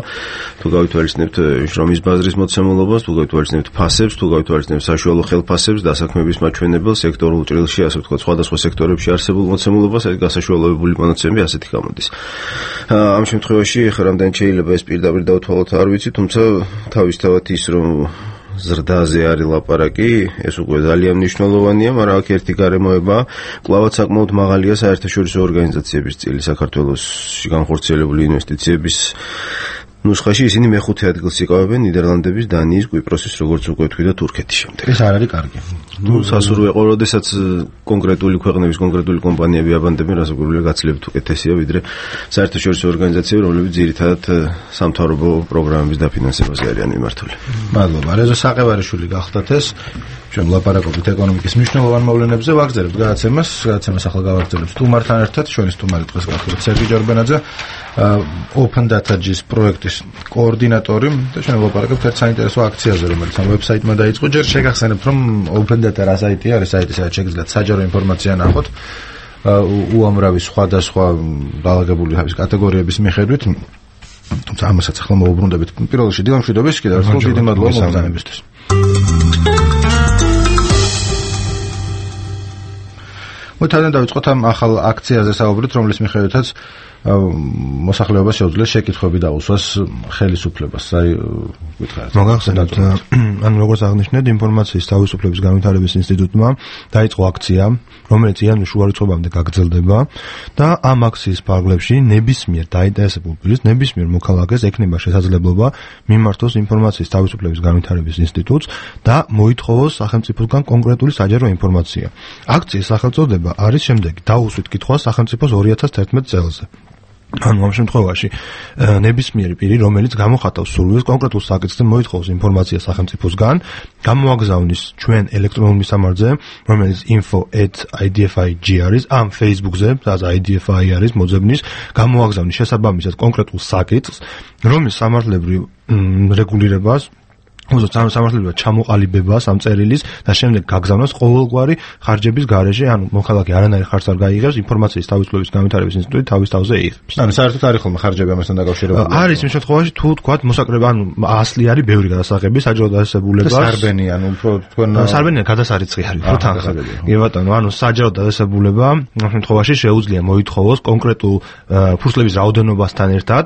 თუ გავითვალისწინებთ შრომის ბაზრის მოცემულობას, თუ გავითვალისწინებთ ფასებს, თუ გავითვალისწინებთ საშუალო ხელფასებს, დასაქმების მაჩვენებელს, სექტორულ ჭრილში, ასე ვთქვათ, სხვადასხვა სექტორებში არსებულ მოცემულობას, ეს გასაშუალებული მონაცემები ასეთი გამოდის. ამ შემთხვევაში ხა რამდენ შეიძლება ეს პირდაპირ დავთვალოთ არ ვიცი, თუმცა თავისთავად ის რომ ზრდაზე არის ლაპარაკი, ეს უკვე ძალიან მნიშვნელოვანია, მაგრამ აქ ერთი გარემოება, კლავაც საკმაოდ მაღალია საერთაშორისო ორგანიზაციების წილი საქართველოში განხორციელებული ინვესტიციების ნუსხაში ისინი მეხუთე ადგილს იკავებენ ნიდერლანდების, დანიის, კვიპროსის, როგორც უკვე თქვი და თურქეთის შემდეგ. ეს არ არის კარგი. ნუ სასურვე ყო, როდესაც კონკრეტული ქვეყნების კონკრეტული კომპანიები აბანდებენ, რასაკვირველია გაცილებით უკეთესია, ვიდრე საერთაშორისო ორგანიზაციები, რომლებიც ძირითადად სამთავრობო პროგრამების დაფინანსებაზე არიან მიმართული. მადლობა. რეზო საყევარიშვილი გახდათ ეს. ჩვენ ლაპარაკობთ ეკონომიკის მნიშვნელოვან მოვლენებზე, ვაგრძელებთ გადაცემას ახლა გავაგრძელებთ სტუმართან ერთად, ჩვენი სტუმარი დღეს გახლავთ სერგი ჯორბენაძე, Open Data-ის პროექტის კოორდინატორი და ჩვენ ვლაპარაკებთ ერთ საინტერესო აქციაზე, რომელიც ამ ვებსაიტმა დაიწყო. ჯერ შეგახსენებთ, რომ Open Data რა საიტია, არის საიტი, სადაც შეგიძლიათ საჯარო ინფორმაცია ნახოთ უამრავი სხვადასხვა დაალაგებული კატეგორიების მიხედვით. თუმცა ამასაც ახლა მოვუბრუნდებით. პირველ რიგში დილამშვიდობის, კიდევ ერთხელ დიდი მადლობა მომზადებისთვის. მოთადან დავიწყოთ ამ ახალ აქციაზე საუბრით, რომლის მიხედვითაც მოსახლეობას შეუძლია შეკითხვები დაუსვას ხელისუფლებას. აი, გითხარით. მოგახსენებთ, ანუ როგორც აღნიშნეთ, ინფორმაციის თავისუფლების განვითარების ინსტიტუტმა დაიწყო აქცია, რომელიც იანვრის შუარიცხვებამდე გაგრძელდება და ამ აქციის ფარგლებში ნებისმიერ დაინტერესებულ პირს, ნებისმიერ მოქალაქეს ექნება შესაძლებლობა მიმართოს ინფორმაციის თავისუფლების განვითარების ინსტიტუტს და მოითხოვოს სახელმწიფოსგან კონკრეტული საჯარო ინფორმაცია. აქციის სახელწოდება არის შემდეგი: დაუსვით კითხვა სახელმწიფოს 2011 წელზე. ანუ ამ შემთხვევაში ნებისმიერი პირი, რომელიც გამოხატავს სურვილს კონკრეტულ საკითხზე მოითხოვოს ინფორმაცია სახელმწიფოსგან, გამოაგზავნის ჩვენ ელექტრონულ მისამართზე, რომელიც info@idfi.gr არის, ამ Facebook-ზე, სადაც IDFI არის მოძებნის, გამოაგზავნის შესაბამისად კონკრეტულ საკითხს, რომლის სამართლებრივ რეგულირებას უბრალოდ სამართლებრივად ჩამოყალიბება ამ წერილის და შემდეგ გაგზავნოს ყოველგვარი ხარჯების გარეშე, ანუ მოქალაქე არანაირი ხარჯს არ გაიღებს, ინფორმაციის თავისუფლების განვითარების ინსტიტუტი თავის თავზე იღებს. ანუ საერთოდ არის ხოლმე ხარჯები ამასთან დაკავშირებული? არის იმ შემთხვევაში, თუ თქვათ მოსაკრება, ანუ ასლი არის ბევრი გადასაღები, საჯარო დადასებულებას. სარბენი, ანუ უფრო თქვენ სარბენი გადასარიცხი არის, უფრო თანხა. კი ბატონო, ანუ საჯარო დადასებულება ამ შემთხვევაში შეუძლია მოითხოვოს კონკრეტულ ფურცლების რაოდენობასთან ერთად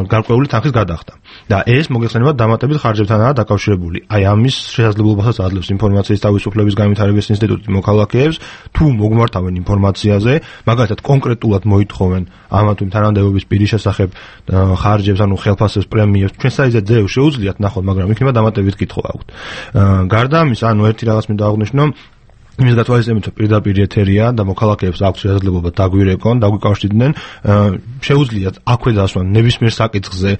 გარკვეული თანხის გადახდა. და ეს მოგეხსენება დამატებით ხარჯებთანაა დაკავშირებული. აი ამის შესაძლებლობასაც აძლევს ინფორმაციის თავისუფლების განვითარების ინსტიტუტი მოქალაქეებს, თუ მოგმართავენ ინფორმაციაზე, მაგალითად კონკრეტულად მოითხოვენ ამა თუ იმ თანამდებობის პირის შესახებ ხარჯებს, ანუ ხელფასებს, პრემიებს, ჩვენ საიზე ძევ შეუძლიათ ნახოთ, მაგრამ იქნება დამატებით კითხვა აქვთ. გარდა ამისა, ანუ ერთი რაღაც მინდა აღვნიშნო, იმის გათვალისწინებით პირდაპირ ეთერია და მოქალაქეებს აქვს შესაძლებლობა დაგვირეკონ, დაგვიკავშირდნენ, შეუძლიათ აქვე დასვან ნებისმიერ საკითხზე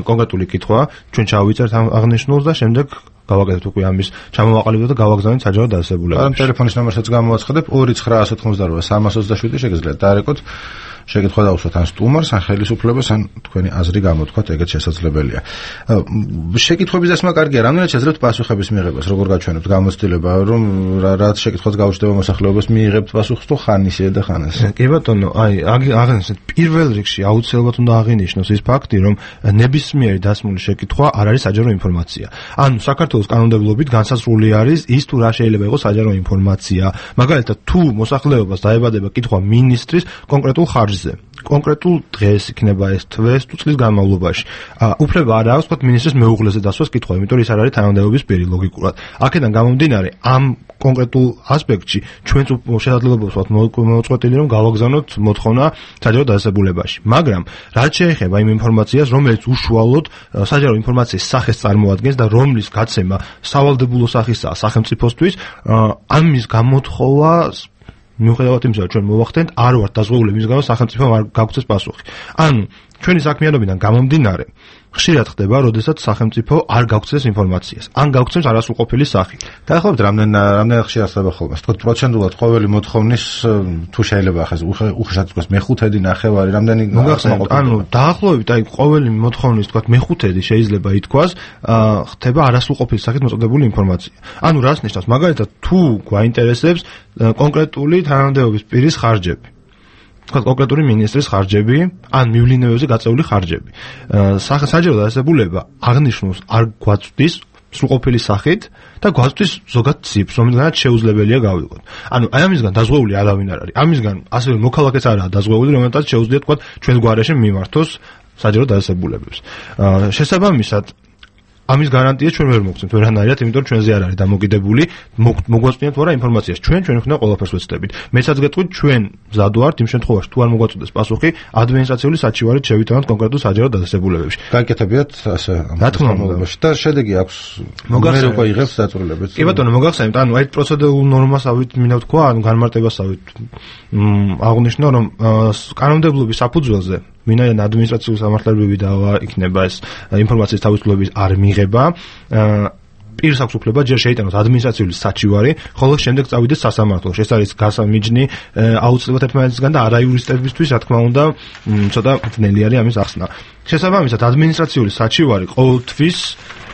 კონკრეტული კითხვა, ჩვენ ჩავიწერთ აღნიშნულს და შემდეგ გავაკეთებთ უკვე ამის ჩამოვაყალიბოთ და გავაგზავნით საჯარო დადასებულებაში. ამ ტელეფონის ნომერსაც გამოვაცხადებ 2988 შეგიძლიათ დაარეკოთ. შეკითხვა დავუსვათ ან სტუმარს, ან ხელისუფლებას, ან თქვენი აზრი გამოთქვათ, ეგეც შესაძლებელია. შეკითხვების დასმა კარგია, რამდენად შეძლებთ პასუხების მიღებას, როგორ გაჩვენებთ გამოცდილება, რომ რაც შეკითხვაც გაუჩნდება მოსახლეობას, მიიღებთ პასუხს თუ ხან ისე და ხან ესე. კი ბატონო, აი, აღნიშნეთ, პირველ რიგში აუცილებლად უნდა აღინიშნოს ის ფაქტი, რომ ნებისმიერი დასმული შეკითხვა არ არის საჯარო ინფორმაცია. ანუ საქართველოს კანონმდებლობით განსაზღვრული არის ის, თუ რა შეიძლება იყოს საჯარო ინფორმაცია. მაგალითად, თუ მოსახლეობას დაებადება კითხვა მინისტრის კონკრეტულ ხარჯზე, კონკრეტულ დღეს იქნება ეს თვეს თუ წლის განმავლობაში. უფლება არ აქვს თქვათ მინისტრის მეუღლეზე დასვას კითხვა, იმიტომ რომ ის არ არის თანამდებობის პირი ლოგიკურად. აქედან გამომდინარე, ამ კონკრეტულ ასპექტში ჩვენც შესაძლებლობა ვთქვათ მოუწყვეტილი რომ გავაგზავნოთ მოთხოვნა საჯარო დადასებულებაში. მაგრამ რაც შეეხება იმ ინფორმაციას, რომელიც უშუალოდ საჯარო ინფორმაციის სახეს წარმოადგენს და რომლის გაცემა სავალდებულო სახისაა სახელმწიფოსთვის, ამის გამოთხოვა მიუხედავად იმისა, რომ ჩვენ მოვახდენთ, არ ვართ დაზღვეული მის გამო სახელმწიფომ არ გაგვცეს პასუხი. ანუ ჩვენი საქმიანობიდან გამომდინარე, ხშირად ხდება, როდესაც სახელმწიფო არ გაგვცეს ინფორმაციას, ან გაგვცემს არასრულყოფილი სახით. დაახლოებით რამდენად ხშირად ხდება ხოლმე? თქო, პროცენტულად ყოველი მოთხოვნის თუ შეიძლება ახლა უხეშად თქვას მეხუთედი, ნახევარი, რამდენი მოგახსენებთ, ანუ დაახლოებით აი ყოველი მოთხოვნის თქვათ მეხუთედი შეიძლება ითქვას, ხდება არასრულყოფილი სახით მოწოდებული ინფორმაცია. ანუ რას ნიშნავს? მაგალითად, თუ გვაინტერესებს კონკრეტული თანამდებობის პირის ხარჯები, კონკრეტული მინისტრის ხარჯები, ან მივლინებებზე გაწეული ხარჯები. საჯარო დადასებულება აღნიშნულს არ გვაწვდის სრულყოფილი სახით და გვაწვდის ზოგად ციფრს, რომელზეც შეუძლებელია გავიგოთ. ანუ აი ამისგან დაზღვეული არავინ არ არის. ამისგან ასევე მოქალაქეც არაა დაზღვეული, რომელსაც შეუძლია თქვა ჩვენ გვარეშე მიმართოს საჯარო დადასებულებებს. შესაბამისად ამის გარანტია ჩვენ ვერ მოგცემთ ვერანაირად, იმიტომ რომ ჩვენზე არ არის დამოკიდებული, მოგვაწვდენთ ვარა ინფორმაციას. ჩვენ უნდა ყველაფერს ვეცდებით. მეცაც გეტყვით, ჩვენ მზად ვართ იმ შემთხვევაში, თუ არ მოგვაწვდეს პასუხი, ადმინისტრაციული საჩივარით შევიტანოთ კონკრეტულ საჯარო დადასებულებებში. გაიკეთებიათ ასე რა თქმა უნდა და შედეგი აქვს. მოგახსენებთ იღებს დაწვრილებებს. კი ბატონო, მოგახსენებთ, ანუ აი პროცედურულ ნორმასავით მინდა ვთქვა, ანუ განმარტებასავით აღნიშნო, რომ კანონმდებლობის საფუძველზე ვინაიდან ადმინისტრაციული სამართლებრივი დავა იქნება ეს ინფორმაციის თავისუფლების არ მიღება, პირს აქვს უფლება ჯერ შეიტანოს ადმინისტრაციული საჩივარი, ხოლო შემდეგ წავიდეს სასამართლოში. ეს არის გასამიჯნი აუცილებლად ერთმანეთისგან და არაიურისტებისთვის, რა თქმა უნდა, ცოტა ძნელი არის ამის ახსნა. შესაბამისად, ადმინისტრაციული საჩივარი ყოველთვის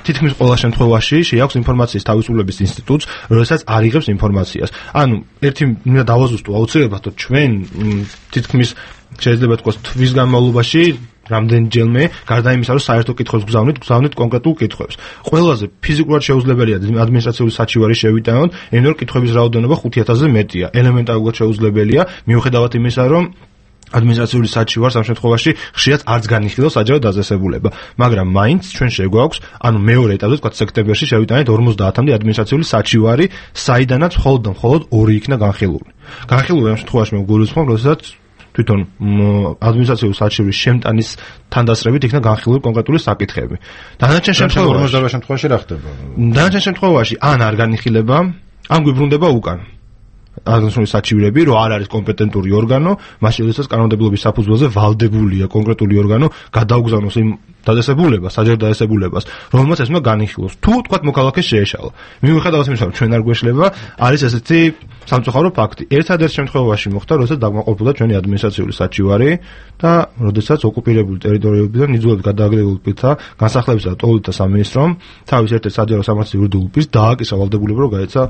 თითქმის ყველა შემთხვევაში შეაქვს ინფორმაციის თავისუფლების ინსტიტუტს, როდესაც არ იღებს ინფორმაციას. ანუ ერთი მინდა დავაზუსტო აუცილებლად, რომ ჩვენ თითქმის შეიძლება თქვას თვის განმავლობაში რამდენჯერმე გარდა იმისა, რომ საერთო კითხვებს გზავნით კონკრეტულ კითხვებს. ყველაზე ფიზიკურად შეუძლებელია ადმინისტრაციული საჩივარი შევიტანოთ, იმიტომ რომ კითხვების რაოდენობა 5000-ზე მეტია. ელემენტარულად შეუძლებელია, მიუხედავად იმისა, რომ ადმინისტრაციული საჩივარს ამ შემთხვევაში ხშირად არც განიხილავს საჯარო დადასებულება, მაგრამ მაინც ჩვენ შეგვაქვს, ანუ მეორე ეტაპზე, თქვა სექტემბერში შევიტანეთ 50-მდე ადმინისტრაციული საჩივარი, საიდანაც მხოლოდ 2 იქნა განხილული. განხილული ამ შემთხვევაში მე გულისხმობ, როდესაც თვითონ ადმინისტრაციული საჩივრის შემტანის თანდასწრებით იქნა განხილული კონკრეტული საკითხები. დანარჩენ შემთხვევაში რა ხდება? დანარჩენ შემთხვევაში ან არ განიხილება, ან გვიბრუნდება უკან. აღნიშნული საჩივრები, რომ არ არის კომპეტენტური ორგანო, მაშინ როდესაც კანონმდებლობის საფუძველზე ვალდებულია კონკრეტული ორგანო გადაუგზავნოს იმ დადასებულებას, საჯარო დადასებულებას, რომელმაც ეს უნდა განიხილოს. თუ თქვა მოქალაქე შეეშალა. მიუხედავად იმისა, რომ ჩვენ არ გვეშლება, არის ესეთი სამწუხარო ფაქტი. ერთადერთ შემთხვევაში მოხდა, როდესაც დაგმაყოფილდა ჩვენი ადმინისტრაციული საჩივარი და როდესაც ოკუპირებული ტერიტორიებიდან იძულებით გადააგდებულ პირთა განსახლებისა და ტოლიდთა სამინისტრომ თავის ერთ-ერთ საჯარო სამართლის იურიდიულ პირს დააკისრა ვალდებულება, რომ გაეცა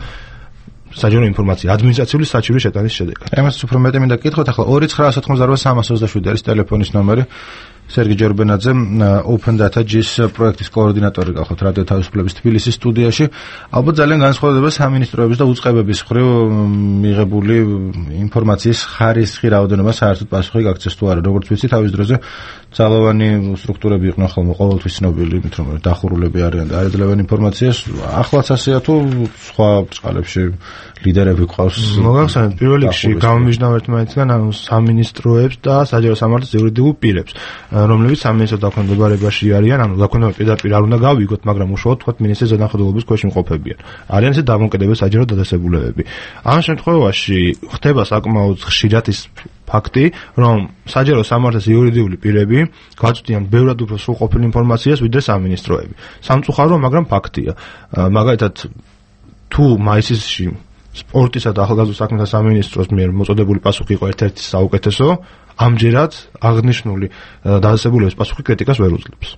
საჯარო ინფორმაცია ადმინისტრაციული საჩივრის შეტანის შედეგად. ამას უფრო მეტი მინდა გკითხოთ, ახლა 2988327 არის ტელეფონის ნომერი. სერგი ჯორბენაძე, Open Data GIS პროექტის კოორდინატორი გახოთ რადიო თავისუფლების თბილისის სტუდიაში. ალბათ ძალიან განსხვავდება სამინისტროების და უწყებების მხრივ მიღებული ინფორმაციის ხარისხი, რაოდენობა საერთოდ პასუხი გაქცეს თუ არა. როგორც ვიცი, თავის დროზე ძალოვანი სტრუქტურები იყვნენ ხოლმე ყოველთვის ცნობილი, იმით რომ დახურულები არიან და არეძლებენ ინფორმაციას. ახლაც ასეა თუ სხვა წყალებში ლიდერები ყავს? მოგახსენებთ, პირველ რიგში გამომიჯნავ ერთმანეთისგან სამინისტროებს და საჯარო სამართლის იურიდიულ პირებს, რომლებიც სამინისტროს დაქვემდებარებაში არიან, ანუ დაქვემდებარება პირდაპირ არ უნდა გავიგოთ, მაგრამ უშუალოდ თქვათ მინისტრის ზედამხედველობის ქვეშ იმყოფებიან. არიან ესე დამოუკიდებელი საჯარო დადასებულებები. ამ შემთხვევაში ხდება საკმაოდ ხშირად ის ფაქტი, რომ საჯარო სამართლის იურიდიული პირები გაწვდიან ბევრად უფრო სრულყოფილ ინფორმაციას, ვიდრე სამინისტროები. სამწუხარო, მაგრამ ფაქტია. მაგალითად, თუ მაისში სპორტისა და ახალგაზრდულ საქმეთა სამინისტროს მიერ მოწოდებული პასუხი იყო ერთ-ერთი საუკეთესო, ამჯერად აღნიშნული დადასებულების პასუხი კრიტიკას ვერ უძლებს.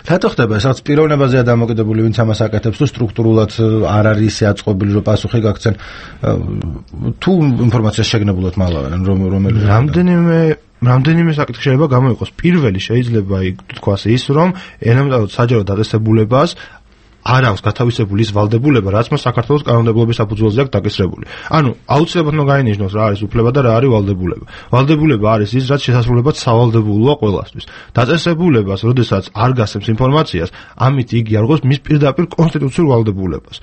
რატო ხდება ეს? რაც პიროვნებაზეა დამოკიდებული, ვინც ამას აკეთებს, თუ სტრუქტურულად არ არის ისე აწყობილი, რომ პასუხი გაგცენ, თუ ინფორმაციას შეგნებულად მალავენ, რომელი რამდენიმე საკითხი შეიძლება გამოიყოს. პირველი შეიძლება თქვას ის, რომ ელემენტარულად საჯარო დადასებულებას არ აქვს გათავისებული ის ვალდებულება, რაც მას საქართველოს კანონმდებლობის საფუძველზე აქვს დაკისრებული. ანუ აუცილებლად უნდა გაინიშნოს რა არის უფლება და რა არის ვალდებულება. ვალდებულება არის ის, რაც შესაძლებლად სავალდებულოა ყველასთვის. დაწესებულებას, როდესაც არ გასცემს ინფორმაციას, ამით იგი არღოს მის პირდაპირ კონსტიტუციურ ვალდებულებას.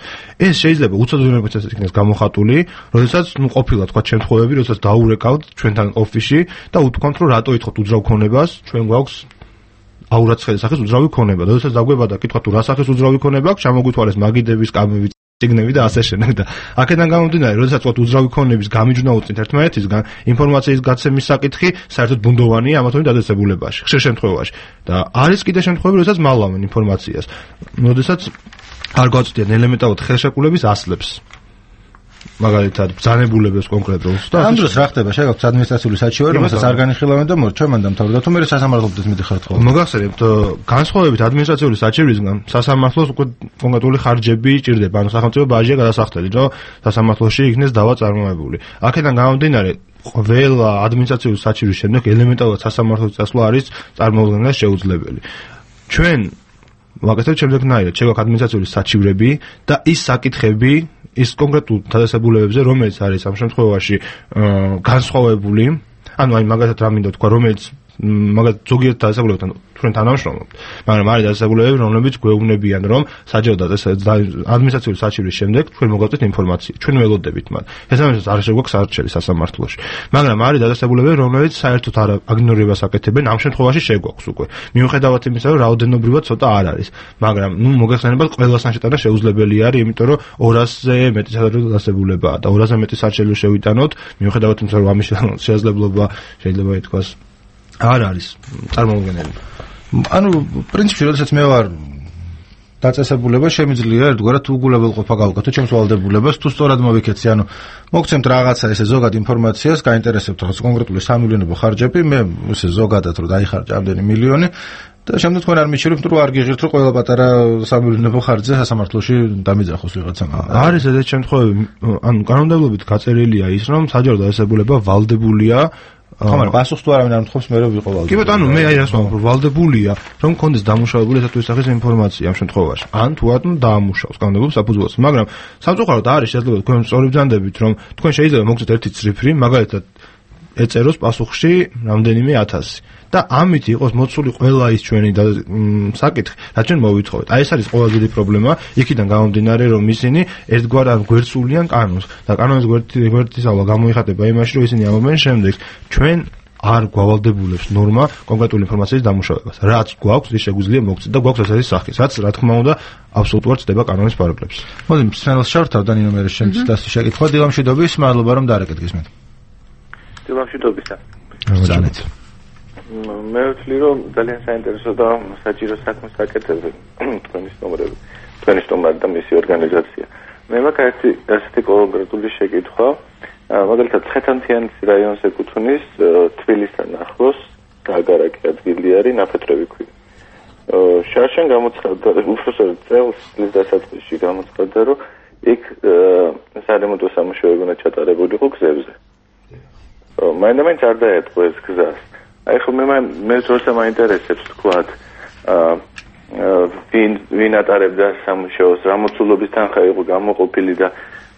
ეს შეიძლება უცოდნელობითაც იქნეს გამოხატული, როდესაც ყოფილა თქვა შემთხვევები, როდესაც დაურეკავთ ჩვენთან ოფისში და უთქვამთ, რომ რატო ითხოვთ უძრავ ქონებას, ჩვენ გვაქვს აურაცხელი სახის უძრავი ქონება. როდესაც დაგვებადა კითხვა თუ რა სახის უძრავი ქონება აქვს, ჩამოგვითვალეს მაგიდების, კამები, ციგნები და ასე შემდეგ და აქედან გამომდინარე, როდესაც თქვა უძრავი ქონების გამიჯვნა უწინთ ერთმანეთისგან, ინფორმაციის გაცემის საკითხი საერთოდ ბუნდოვანია ამა თუ იმ დადასებულებაში, ხშირ შემთხვევაში. და არის კიდე შემთხვევები, როდესაც მალავენ ინფორმაციას. როდესაც არ გვაწვდიან ელემენტარულად ხელშეკრულების ასლებს. მაგალითად, ბრძანებულებას კონკრეტულს და ამ დროს რა ხდება? შეგაქვს ადმინისტრაციული საჩივარი, რომელსაც არ განიხილავენ და მორჩემან დამთავრდა თუ მე სასამართლოებდეთ მიდიხართ ხოლმე. მოგახსენებთ, განსხვავებით ადმინისტრაციული საჩივრისგან, სასამართლოს უკვე კონკრეტული ხარჯები ჭირდება, ანუ სახელმწიფო ბაჟია გადასახდელი, რომ სასამართლოში იქნეს დავა წარმოებული. აქედან გამომდინარე, ყველა ადმინისტრაციული საჩივრის შემდეგ ელემენტარულად სასამართლოს წასვლა არის წარმოუდგენლად შეუძლებელი. ჩვენ ვაკეთებთ შემდეგნაირად, შეგაქვს ადმინისტრაციული საჩივრები და ის საკითხები ის კონკრეტულ დადასებულებებზე, რომელიც არის ამ შემთხვევაში განსხვავებული, ანუ აი მაგალითად რა მინდა თქვა, რომელიც მაგალითად ზოგიერთ დადასებულებებთან ჩვენ თანამშრომლობთ, მაგრამ არის დადასებულებები, რომლებიც გვეუბნებიან, რომ საჯარო ადმინისტრაციული საჩივრის შემდეგ ჩვენ მოგავწევთ ინფორმაცია, ჩვენ ველოდებით მათ. ეს ამასაც არ შეგვაქვს არჩევი სასამართლოში. მაგრამ არის დადასებულებები, რომლებიც საერთოდ არ აგნორებას აკეთებენ, ამ შემთხვევაში შეგვაქვს უკვე. მიუხედავად იმისა, რომ რაოდენობრივად ცოტა არ არის, მაგრამ მოგეხსენებათ, ყველასთან შეტანა შეუძლებელი არის, იმიტომ რომ 200-ზე მეტი საჯარო დადასებულებაა და 200-ზე მეტი საჩივრი შევიტანოთ, მიუხედავად იმისა, რომ ამის შესაძლებლობა შეიძლება ითქვას არ არის წარმოუდგენელი. ანუ პრინციპში, როდესაც მე ვარ დაწესებულება, შემიძლია ერთგვარად უგულებელყოფა გავუკეთო ჩემს ვალდებულებას, თუ სწორად მოვიქეცი, ანუ მოგცემთ რაღაცა ესე ზოგად ინფორმაციას, გაინტერესებთ რაღაც კონკრეტული სამილიონებო ხარჯები, მე ესე ზოგადად რომ დაიხარჯა ამდენი მილიონი და შემდეგ თქვენ არ მიჩვენებთ, რომ არ გიღირთ, რომ ყველა პატარა სამილიონებო ხარჯზე სასამართლოში დამიძახოს ვიღაცამ. არის ესეთი შემთხვევები, ანუ კანონმდებლობით გაწერილია ის, რომ საჯარო დაწესებულება ვალდებულია ხომ არა, პასუხს თუ არავინ არ მთხოვს, მე რომ ვიყო ვალდებული. კი ბატონო, მე აი რას ვამბობ, ვალდებულია, რომ კონდეს დამუშავებული ესა თუ ის სახის ინფორმაცია ამ შემთხვევაში. ან თუ არ დაამუშავოს კანონმდებლობის საფუძველზე. მაგრამ სამწუხაროდ არის შესაძლოა თქვენ სწორი ბრძანდებით, რომ თქვენ შეიძლება მოგცეთ ერთი ციფრი, მაგალითად ეწეროს პასუხში რამდენიმე 1000 და ამით იყოს მოცული ყველა ის ჩვენი საკითხი, რაც ჩვენ მოვითხოვეთ. აი ეს არის ყველაზე დიდი პრობლემა, იქიდან გამომდინარე, რომ ისინი ერთგვარად გვერდსულიან კანონს და კანონის გვერდისავლა გამოიხატება იმაში, რომ ისინი ამობენ შემდეგ ჩვენ არ გავალდებულებს ნორმა კონკრეტული ინფორმაციის დამუშავებას. რაც გვაქვს, ის შეგვიძლია მოგცეთ და გვაქვს ესეთი სახის, რაც რა თქმა უნდა აბსოლუტურად ცდება კანონის პარაგრაფებს. მოდი სპეციალს შევთავ და ნინო მე შემცდას შეკითხვა დილამშვიდობის, მადლობა რომ დაარეკეთ გისმენთ. დილამშვიდობისა. ძალიან. მე ვთვლი რომ ძალიან საინტერესო და საჭირო საქმეს აკეთებთ თქვენის ნომრები, თქვენის ნომერი და მისი ორგანიზაცია. მე მაქვს ესეთი კონკრეტული შეკითხვა, მაგალითად ცხეთანთიანის რაიონს ეკუთვნის თბილისთან ახლოს გაგარაკი ადგილი არის ნაფეთრები ქვია. შარშან გამოცხადდა, უბრალოდ წელს დასაწყისში გამოცხადდა, რომ იქ სარემონტო სამუშაოები უნდა ჩატარებულიყო გზებზე. მაინც არ დაეთქვა ეს გზას. აი ხო მე თორსა მაინტერესებს თქვათ ვინ ატარებდა სამუშაოს, რა მოცულობის თანხა იყო გამოყოფილი და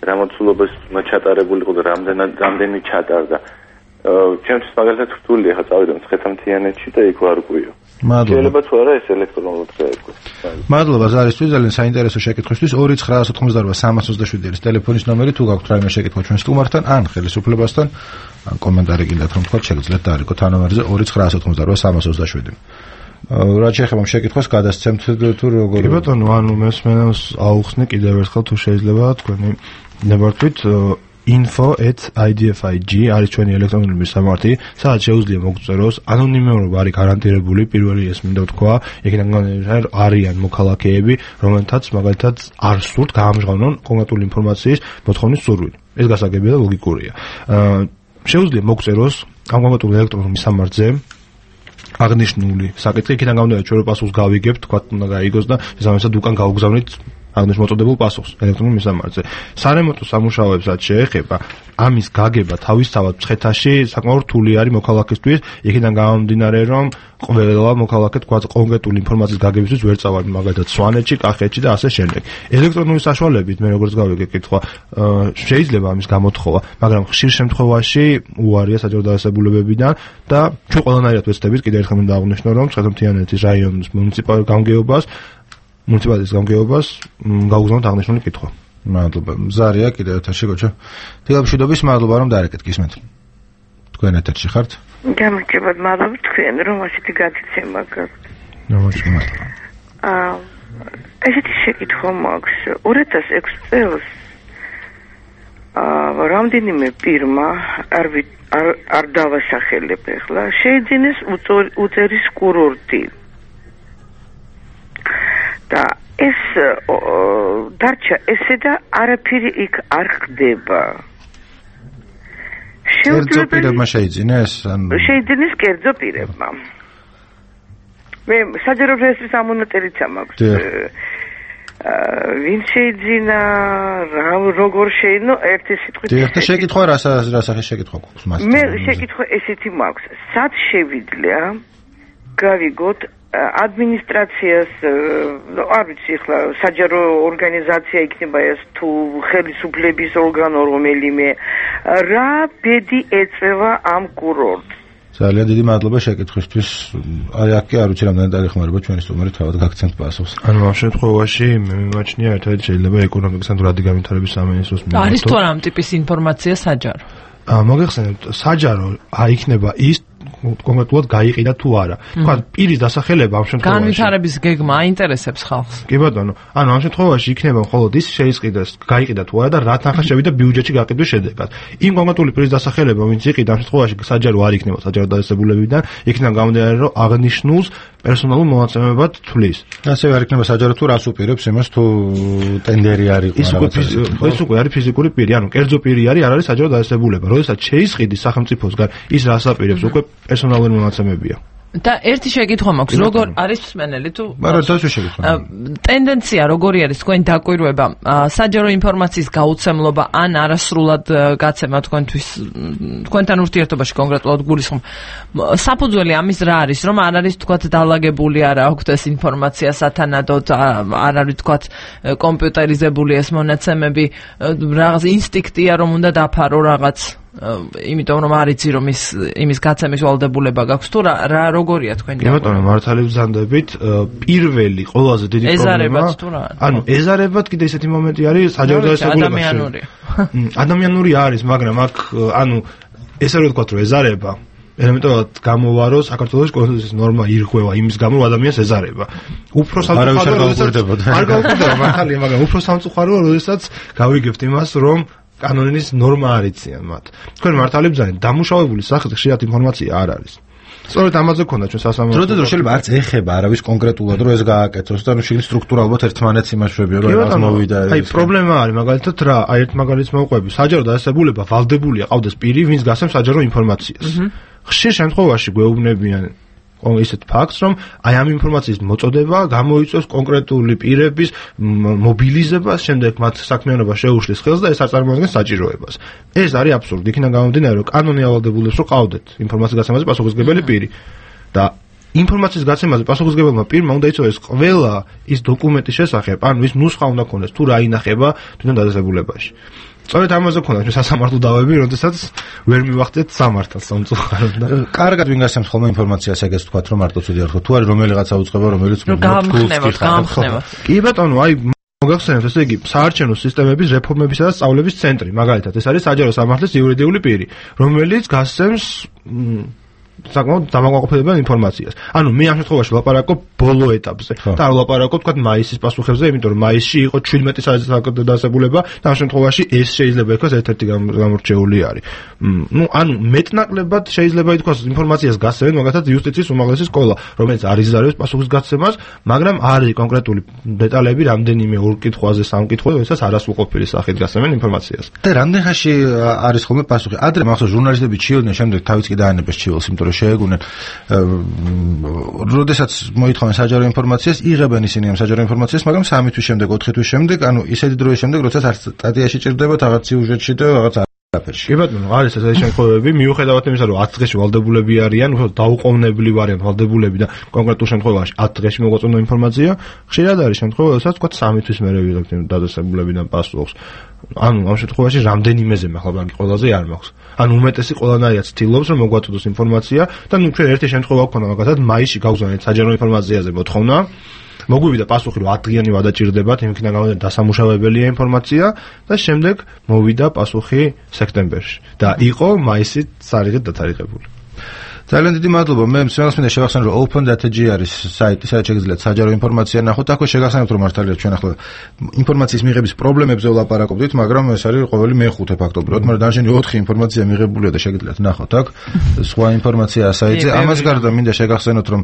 რა მოცულობის ჩატარებულიყო და რამდენი ჩატარდა. ჩემთვის მაგალითად რთულია ხა წავიდე ცხეთამთიანეთში და იქ ვარ გვიო. შეიძლება თუ არა ეს ელექტრონულად გაეკვეს. მადლობა ზარისთვის ძალიან საინტერესო შეკითხვისთვის 2988 არის ტელეფონის ნომერი თუ გაქვთ რაიმე შეკითხვა ჩვენ სტუმართან ან ხელისუფლებასთან ან კომენტარი გინდათ რომ თქვა შეგიძლიათ დაარეკოთ ამ ნომერზე 2988 რა შეიძლება შეკითხვას გადასცემთ თუ როგორ კი ბატონო ანუ მესმენელს აუხსნი კიდევ ერთხელ თუ შეიძლება თქვენი ნებართვით info@idfig არის ჩვენი ელექტრონული სამართი, სადაც შეუძლია მოგწეროს ანონიმურობა არის გარანტირებული, პირველი ეს მინდა ვთქვა, იქიდან არიან მოქალაქეები, რომელთაც მაგალითად არ სურთ გაამჟღავნონ კონკრეტული ინფორმაციის მოთხოვნის სურვილი. ეს გასაგებია და ლოგიკურია. შეუძლია მოგწეროს ამ კონკრეტულ ელექტრონულ სამართზე აღნიშნული საკითხი, იქიდან გამომდინარე ჩვენ პასუხს გავიგებთ, თქვა უნდა გაიგოს და შესაბამისად უკან გავგზავნით აღნიშნულ მოწოდებულ პასუხს ელექტრონულ მისამართზე. სარემონტო სამუშაოებსაც შეეხება ამის გაგება თავისთავად მცხეთაში საკმაოდ რთული არის მოქალაქისთვის, იქიდან გამომდინარე რომ ყველა მოქალაქე თქვა კონკრეტული ინფორმაციის გაგებისთვის ვერ წავართ მაგალითად სვანეთში, კახეთში და ასე შემდეგ. ელექტრონული საშუალებით მე როგორც გავიგე კითხვა შეიძლება ამის გამოთხოვა, მაგრამ ხშირ შემთხვევაში უარია საჯარო დაწესებულებებიდან და ჩვენ ყველანაირად ვეცდებით კიდევ ერთხელ მინდა აღვნიშნო რომ ცხეთამთიანეთის რაიონის მუნიციპალიტეტის გამგეობას გაუგზავნოთ აღნიშნული კითხვა. მადლობა. მზარია კიდევ ეთერში გოჩა. დილამშვიდობის, მადლობა რომ დაარეკეთ გისმენთ. თქვენ ეთერში ხართ? გამარჯობა, მადლობა თქვენ რომ ასეთი გადაცემა გაქვთ. მადლობა. ესეთი შეკითხვა მაქვს. 2006 წელს რამდენიმე პირმა არ დავასახელებ ახლა შეიძინეს უწერის კურორტი. და ეს დარჩა ესე და არაფერი იქ არ ხდება. კერძო პირებმა შეიძინეს? შეიძინეს კერძო პირებმა. მე საჯარო რეესტრის ამონატერიც მაქვს. ვინ შეიძინა, როგორ შეინო, ერთი სიტყვით. და შეკითხვა რა სახის შეკითხვა გვაქვს მას? მე შეკითხვა ესეთი მაქვს. სად შევიძლია გავიგოთ ადმინისტრაციას, არ ვიცი ახლა საჯარო ორგანიზაცია იქნება ეს თუ ხელისუფლების ორგანო რომელიმე, რა ბედი ეწევა ამ კურორტს? ძალიან დიდი მადლობა შეკითხვისთვის. აი აქ კი არ ვიცი რამდენი დაგეხმარება ჩვენი სტუმარი თავად გაგცემთ პასუხს. ანუ ამ შემთხვევაში მე მიმაჩნია ერთადერთი შეიძლება ეკონომიკის ან რადი განვითარების სამინისტროს მიმართოთ. არის თუ არა ამ ტიპის ინფორმაცია საჯარო? მოგეხსენებთ, საჯარო იქნება ის კონკრეტულად გაიყიდა თუ არა. თქვა პირის დასახელება ამ შემთხვევაში. განვითარების გეგმა აინტერესებს ხალხს. კი ბატონო, ანუ ამ შემთხვევაში იქნება მხოლოდ ის შეიყიდეს, გაიყიდა თუ არა და რა თანხა შევიდა ბიუჯეტში გაყიდვის შედეგად. იმ კონკრეტული პირის დასახელება, ვინც იყიდა ამ შემთხვევაში საჯარო არ იქნება საჯარო დაწესებულებიდან, იქიდან გამომდინარე რომ აღნიშნულს პერსონალურ მონაცემებად თვლის. ასევე არ იქნება საჯარო თუ რას უპირებს იმას თუ ტენდერი არ იყო. ეს უკვე არის ფიზიკური პირი, ანუ კერძო პირი არის, არ არის საჯარო დაწესებულება. როდესაც შეისყიდის სახელმწიფოსგან ის რას აპირებს უკვე პერსონალური მონაცემებია. და ერთი შეკითხვა მაქვს, როგორ არის მსმენელი თუ მაგრამ დასვე შეკითხვა. ტენდენცია როგორი არის თქვენ დაკვირვება, საჯარო ინფორმაციის გაუცემლობა ან არასრულად გაცემა თქვენთან ურთიერთობაში კონკრეტულად გულისხმობ. საფუძველი ამის რა არის, რომ არ არის თქვათ დალაგებული არა აქვთ ეს ინფორმაცია სათანადოდ, არ არის თქვათ კომპიუტერიზებული ეს მონაცემები, რაღაც ინსტინქტია რომ უნდა დაფარო რაღაც იმიტომ რომ არ იცი რომ იმის გაცემის ვალდებულება გაქვს თუ რა როგორია თქვენი და ბატონო მართალი ბრძანდებით პირველი ყველაზე დიდი პრობლემა ანუ ეზარებად კიდე ესეთი მომენტი არის საჯარო დაწესებულებაში ადამიანური არის მაგრამ აქ ანუ ესე რომ ვთქვათ რომ ეზარება ელემენტარულად გამოვა, რომ საქართველოს კონსტიტუციის ნორმა ირღვევა იმის გამო, რომ ადამიანს ეზარება. უფრო სამწუხაროა, არ გავუკვირდება მართალია, მაგრამ უფრო სამწუხაროა, როდესაც გავიგებთ იმას, რომ კანონის ნორმა არ იციან მათ. თქვენ მართალი ბრძანეთ, დამუშავებული სახით ხშირად ინფორმაცია არ არის. სწორედ ამაზე გქონდა ჩვენ სასამართლო. დროდადრო შეიძლება არც ეხება არავის კონკრეტულად, რომ ეს გააკეთოს და შეიძლება სტრუქტურალურად ერთმანეთს იმაშვებია, რომ რაღაც მოვიდა. აი, პრობლემა არის მაგალითად რა, აი ერთ მაგალითს მოვყვები, საჯარო დაწესებულება ვალდებულია, ყავდეს პირი, ვინც გასცემს საჯარო ინფორმაციას. ხშირ შემთხვევაში გვეუბნებიან ისეთ ფაქტს, რომ აი ამ ინფორმაციის მოწოდება გამოიწვევს კონკრეტული პირების მობილიზებას, შემდეგ მათ საქმიანობა შეუშლის ხელს და ეს არ წარმოადგენს საჭიროებას. ეს არის აბსურდი, იქიდან გამომდინარე, რომ კანონი ავალდებულებს, რომ ყავდეთ ინფორმაციის გაცემაზე პასუხისმგებელი პირი და ინფორმაციის გაცემაზე პასუხისმგებელმა პირმა უნდა იცოდეს ყველა ის დოკუმენტის შესახებ, ანუ ის ნუსხა უნდა ქონდეს თუ რა ინახება თვითონ დაწესებულებაში. სწორედ ამაზე გქონდა ჩვენ სასამართლო დავები, როდესაც ვერ მივახდეთ სამართალს სამწუხაროდ და კარგად ვინ გასცემს ხოლმე ინფორმაციას ეგეც თქვათ, რომ მარტო ცუდი არ ხო, თუ არის რომელიღაცა უწყება, რომელიც გამხნევოთ. კი ბატონო, აი მოგახსენებთ, ესე იგი, საარჩევნო სისტემების რეფორმებისა და სწავლების ცენტრი, მაგალითად, ეს არის საჯარო სამართლის იურიდიული პირი, რომელიც გასცემს საკმაოდ დამაკმაყოფილებელ ინფორმაციას. ანუ მე ამ შემთხვევაში ვლაპარაკობ ბოლო ეტაპზე. და არ ვლაპარაკობ თქვა მაისის პასუხებზე, იმიტომ რომ მაისში იყო 17 საჯარო დასაბულება და ამ შემთხვევაში ეს შეიძლება ითქვას ერთ-ერთი გამორჩეული არის. ანუ მეტნაკლებად შეიძლება ითქვას ინფორმაციას გასცემენ, მაგალითად იუსტიციის უმაღლესი სკოლა, რომელიც არ იზარებს პასუხის გაცემას, მაგრამ არის კონკრეტული დეტალები რამდენიმე ორ კითხვაზე, სამ კითხვაზე, როდესაც არასრულყოფილი სახით გასცემენ ინფორმაციას. და რამდენ ხანში არის ხოლმე პასუხი? ადრე მახსოვს ჟურნალისტები ჩიოდნენ, შემდეგ თავიც კი დაანებეს ჩიოლს, იმიტომ რომ შეეგუნენ, როდესაც მოითხოვენ საჯარო ინფორმაციას, იღებენ ისინი ამ საჯარო ინფორმაციას, მაგრამ 3 თვის შემდეგ, 4 თვის შემდეგ, ანუ ისეთი დროის შემდეგ, როდესაც არც სტატიაში ჭირდება, რაღაც სიუჟეტში და რაღაც არაფერში. კი ბატონო, არის ესეთი შემთხვევები, მიუხედავად იმისა, რომ 10 დღეში ვალდებულები არიან, დაუყოვნებლივ არიან ვალდებულები და კონკრეტულ შემთხვევაში 10 დღეში მოგვაწონდა ინფორმაცია, ხშირად არის შემთხვევა, როდესაც თქვა 3 თვის მერე ვიღებთ დაწესებულებიდან პასუხს. ანუ ამ შემთხვევაში რამდენიმეზე მახლობლად ყველაზე არ მაქვს. ანუ უმეტესი ყველანაირად ცდილობს, რომ მოგვაწოდოს ინფორმაცია და ნუ ჩვენ ერთი შემთხვევა გქონდა, მაგალითად, მაისში გავგზავნეთ საჯარო ინფორმაციაზე მოთხოვნა. მოგვივიდა პასუხი, რომ 10 დღიანი ვადაჭირდებათ, იმიქიდან გამომდინარე დასამუშავებელია ინფორმაცია და შემდეგ მოვიდა პასუხი სექტემბერში და იყო მაისით სარიგად დათარიღებული. ძალიან დიდი მადლობა. მე მსმენელს მინდა შევახსენო, რომ open.data.gr არის საიტი, სადაც შეგიძლიათ საჯარო ინფორმაცია ნახოთ. აქვე შეგახსენებთ, რომ მართალია ჩვენ ახლა ინფორმაციის მიღების პრობლემებზე ვლაპარაკობდით, მაგრამ ეს არის ყოველი მეხუთე ფაქტობრივად, მაგრამ დანარჩენი 4 ინფორმაცია მიღებულია და შეგიძლიათ ნახოთ აქ. სხვა ინფორმაცია საიტზე. ამას გარდა მინდა შეგახსენოთ, რომ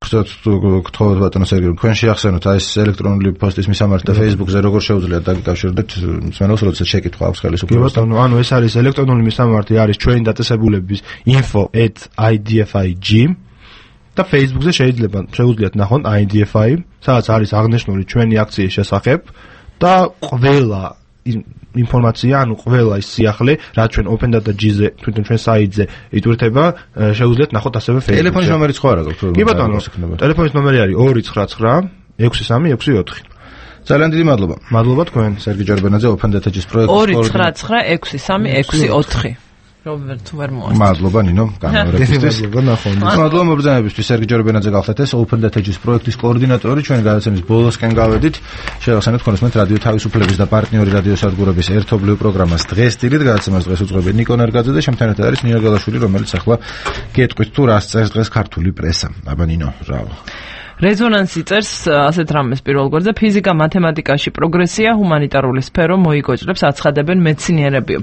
გთხოვთ ბატონო სერგეი, თქვენ შეახსენოთ აი ეს ელექტრონული პოსტის მისამართი და Facebook-ზე როგორ შეუძლიათ დაგიკავშირდეთ მსმენელს, როდესაც შეკითხვა აქვს ხელისუფლებასთან. ანუ ეს არის ელექტრონული მისამართი, არის ჩვენი დაწესებულების info@idfi.g და Facebook-ზე შეუძლიათ ნახონ IDFI, სადაც არის აღნიშნული ჩვენი აქციის შესახებ და ყველა ინფორმაცია, ანუ ყველა ის სიახლე, რაც ჩვენ open.data.gr-ზე, თვითონ ჩვენ საიტზე იტვირთება, შეუძლიათ ნახოთ ასევე Facebook-ზე. ტელეფონის ნომერიც ხო არა გაქვთ? კი ბატონო, ტელეფონის ნომერი არის 299 63664. ძალიან დიდი მადლობა. მადლობა თქვენ, სერგი ჯორბენაძე, open.data.gr-ის პროექტის კოორდინატორ. 299 63664. მადლობა ნინო გამარჯვებისთვის. მადლობა მობრძანებისთვის. სერგი ჯორბენაძე გახლდათ ეს open.data.gr-ის პროექტის კოორდინატორი. ჩვენ გადაცემის ბოლოსკენ გავედით. შევახსენეთ კონსმეთ რადიო თავისუფლების და პარტნიორი რადიო სადგურების ერთობლივ პროგრამას დღეს სტილით გადაცემას დღეს უძღვები ნიკო ნერგაძე და შემთანადად არის ნინო გალაშვილი, რომელიც ახლა გეტყვით თუ რას წერს დღეს ქართული პრესა. აბა ნინო, ბრავო. რეზონანსი წერს ასეთ რამეს პირველ გვერდზე ფიზიკა მათემატიკაში პროგრესია ჰუმანიტარული სფერო მოიგოჭრებს აცხადებენ მეცნიერები.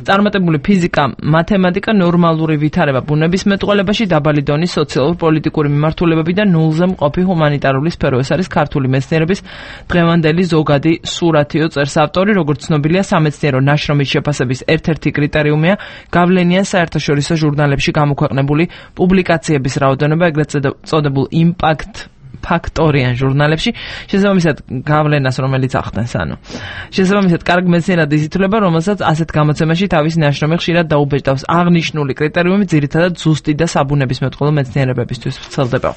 წარმატებული ფიზიკა მათემატიკა ნორმალური ვითარება ბუნებისმეტყველებაში დაბალი დონის სოციალურ-პოლიტიკური მიმართულებები და ნულზე მყოფი ჰუმანიტარული სფერო. ეს არის ქართული მეცნიერების დღევანდელი ზოგადი სურათიო წერს ავტორი, როგორც ცნობილია სამეცნიერო ნაშრომის შეფასების ერთ-ერთი კრიტერიუმია გავლენიან საერთაშორისო ჟურნალებში გამოქვეყნებული პუბლიკაციების რაოდენობა, ეგრეთ წოდებულ იმპაქტ ფაქტორიან ჟურნალებში, შესაბამისად გავლენას, რომელიც ახდენს, ანუ შესაბამისად კარგ მეცნიერად იზრდება, რომელსაც ასეთ გამოცემაში თავის ნაშრომი ხშირად დაუბეჭდავს. აღნიშნული კრიტერიუმი ძირითადად ზუსტი და საბუნებისმეტყველო მეცნიერებებისთვის ვრცელდება.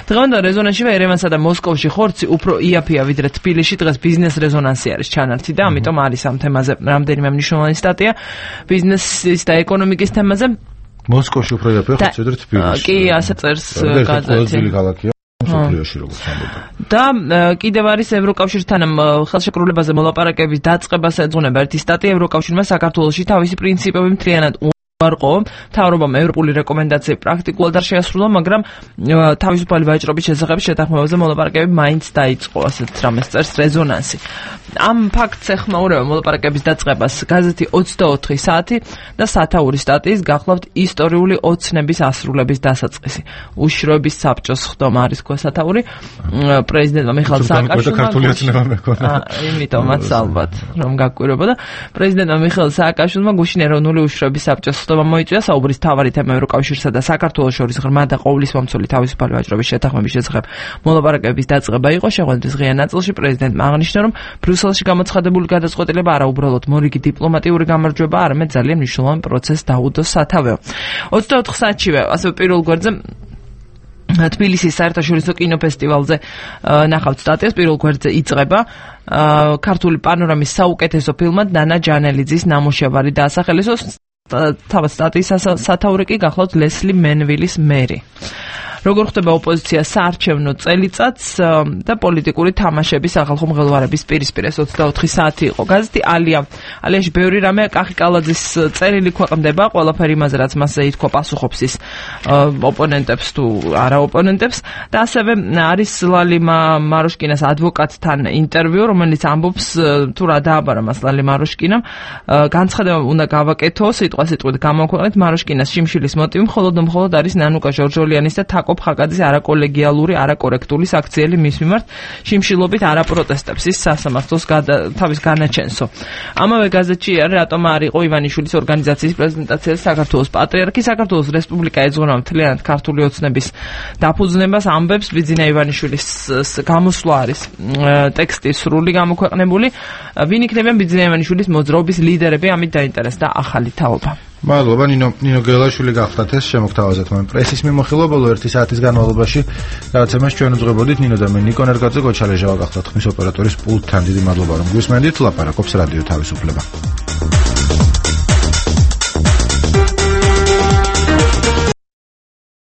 დღევანდელ რეზონანსში ერევანსა და მოსკოვში ხორცი უფრო იაფია ვიდრე თბილისში. დღეს ბიზნეს რეზონანსი არის ჩანართი და ამიტომ არის ამ თემაზე რამდენიმე მნიშვნელოვანი სტატია ბიზნესის და ეკონომიკის თემაზე. მოსკოვში უფრო იაფია ხორცი ვიდრე თბილისში. კი, ასე წერს გაზეთი. და კიდევ არის ევროკავშირთან ხელშეკრულებაზე მოლაპარაკების დაწყებას ეძღვნება ერთი სტატია. ევროკავშირმა საქართველოში თავისი პრინციპები მთლიანად არყო მთავრობამ ევროპული რეკომენდაციები პრაქტიკულად არ შეასრულა, მაგრამ თავისუფალი ვაჭრობის შესახებ შეთანხმებაზე მოლაპარაკებები მაინც დაიწყო, ასეთ რამეს წერს რეზონანსი. ამ ფაქტს ეხმაურება მოლაპარაკების დაწყებას გაზეთი 24 საათი და სათაური სტატიის გახლავთ ისტორიული ოცნების ასრულების დასაწყისი. უშროების საბჭოს ხდომა არის თქვა სათაური პრეზიდენტმა მიხეილ სააკაშვილმა იმიტომაც ალბათ რომ გაკვირვებოდა პრეზიდენტმა მიხეილ სააკაშვილმა გუშინ ეროვნული უშროების საბჭოს ხდომა მოიწვია. საუბრის მთავარი თემა ევროკავშირსა და საქართველოს შორის ღრმა და ყოვლისმომცველი თავისუფალი ვაჭრობის შეთანხმების შესახებ მოლაპარაკების დაწყება იყო. შეხვედრის ღია ნაწილში პრეზიდენტმა აღნიშნა, რომ ბრიუსელში გამოცხადებული გადაწყვეტილება არა უბრალოდ მორიგი დიპლომატიური გამარჯვება, არამედ ძალიან მნიშვნელოვანი პროცესს დაუდო სათავეო. 24 საათშივე ასევე პირველ გვერდზე თბილისის საერთაშორისო კინოფესტივალზე ნახავთ სტატიას. პირველ გვერდზე იწყება ქართული პანორამის საუკეთესო ფილმად ნანა ჯანელიძის ნამუშევარი დაასახელეს. თავად სტატიის სათაური კი გახლავთ ლესლი მენვილის მერი. როგორ ხდება ოპოზიცია საარჩევნო წელიწადს და პოლიტიკური თამაშების სახალხო მღელვარების პირისპირ. 24 საათი იყო. გაზეთი ალიაში ბევრი რამე კახიკალაძის წერილი ქვეყნდება, ყველაფერი იმაზე, რაც მასზე ითქვა, პასუხობს ის ოპონენტებს თუ არა ოპონენტებს და ასევე არის ლალი მაროშკინას ადვოკატთან ინტერვიუ, რომელიც ამბობს თუ რა დააბარა მას ლალი მაროშკინამ. განცხადება უნდა გავაკეთო, სიტყვასიტყვით გამოქვეყნეთ. მაროშკინას შიმშილის მოტივი მხოლოდ არის ნანუკა ჟორჟოლიანის და თაკო ხაკაძის არაკოლეგიალური, არაკორექტული საქციელი მის მიმართ შიმშილობით არაპროტესტებს ის სასამართლოს თავის განაჩენსო. ამავე გაზეთში რატომ არ იყო ივანიშვილის ორგანიზაციის პრეზენტაციაზე საქართველოს პატრიარქი. საქართველოს რესპუბლიკა ეძღვნება მთლიანად ქართული ოცნების დაფუძნებას, ამბებს ბიძინა ივანიშვილის გამოსვლა არის ტექსტი სრული გამოქვეყნებული. ვინ იქნებიან ბიძინა ივანიშვილის მოძრაობის ლიდერები, ამით დაინტერესდა ახალი თაობა. მადლობა ნინო გელაშვილი გახდათ ეს შემოგთავაზეთ მან პრესის მიმოხილვა ბოლო 1 საათის განმავლობაში გადაცემას ჩვენ უძღვებოდით. ნინო და მე ნიკო ნერგაძე, გოჩალეჟავა გახდათ ხმის ოპერატორის პულტთან. დიდი მადლობა რომ გვისმენდით. ლაპარაკობს რადიო თავისუფლება.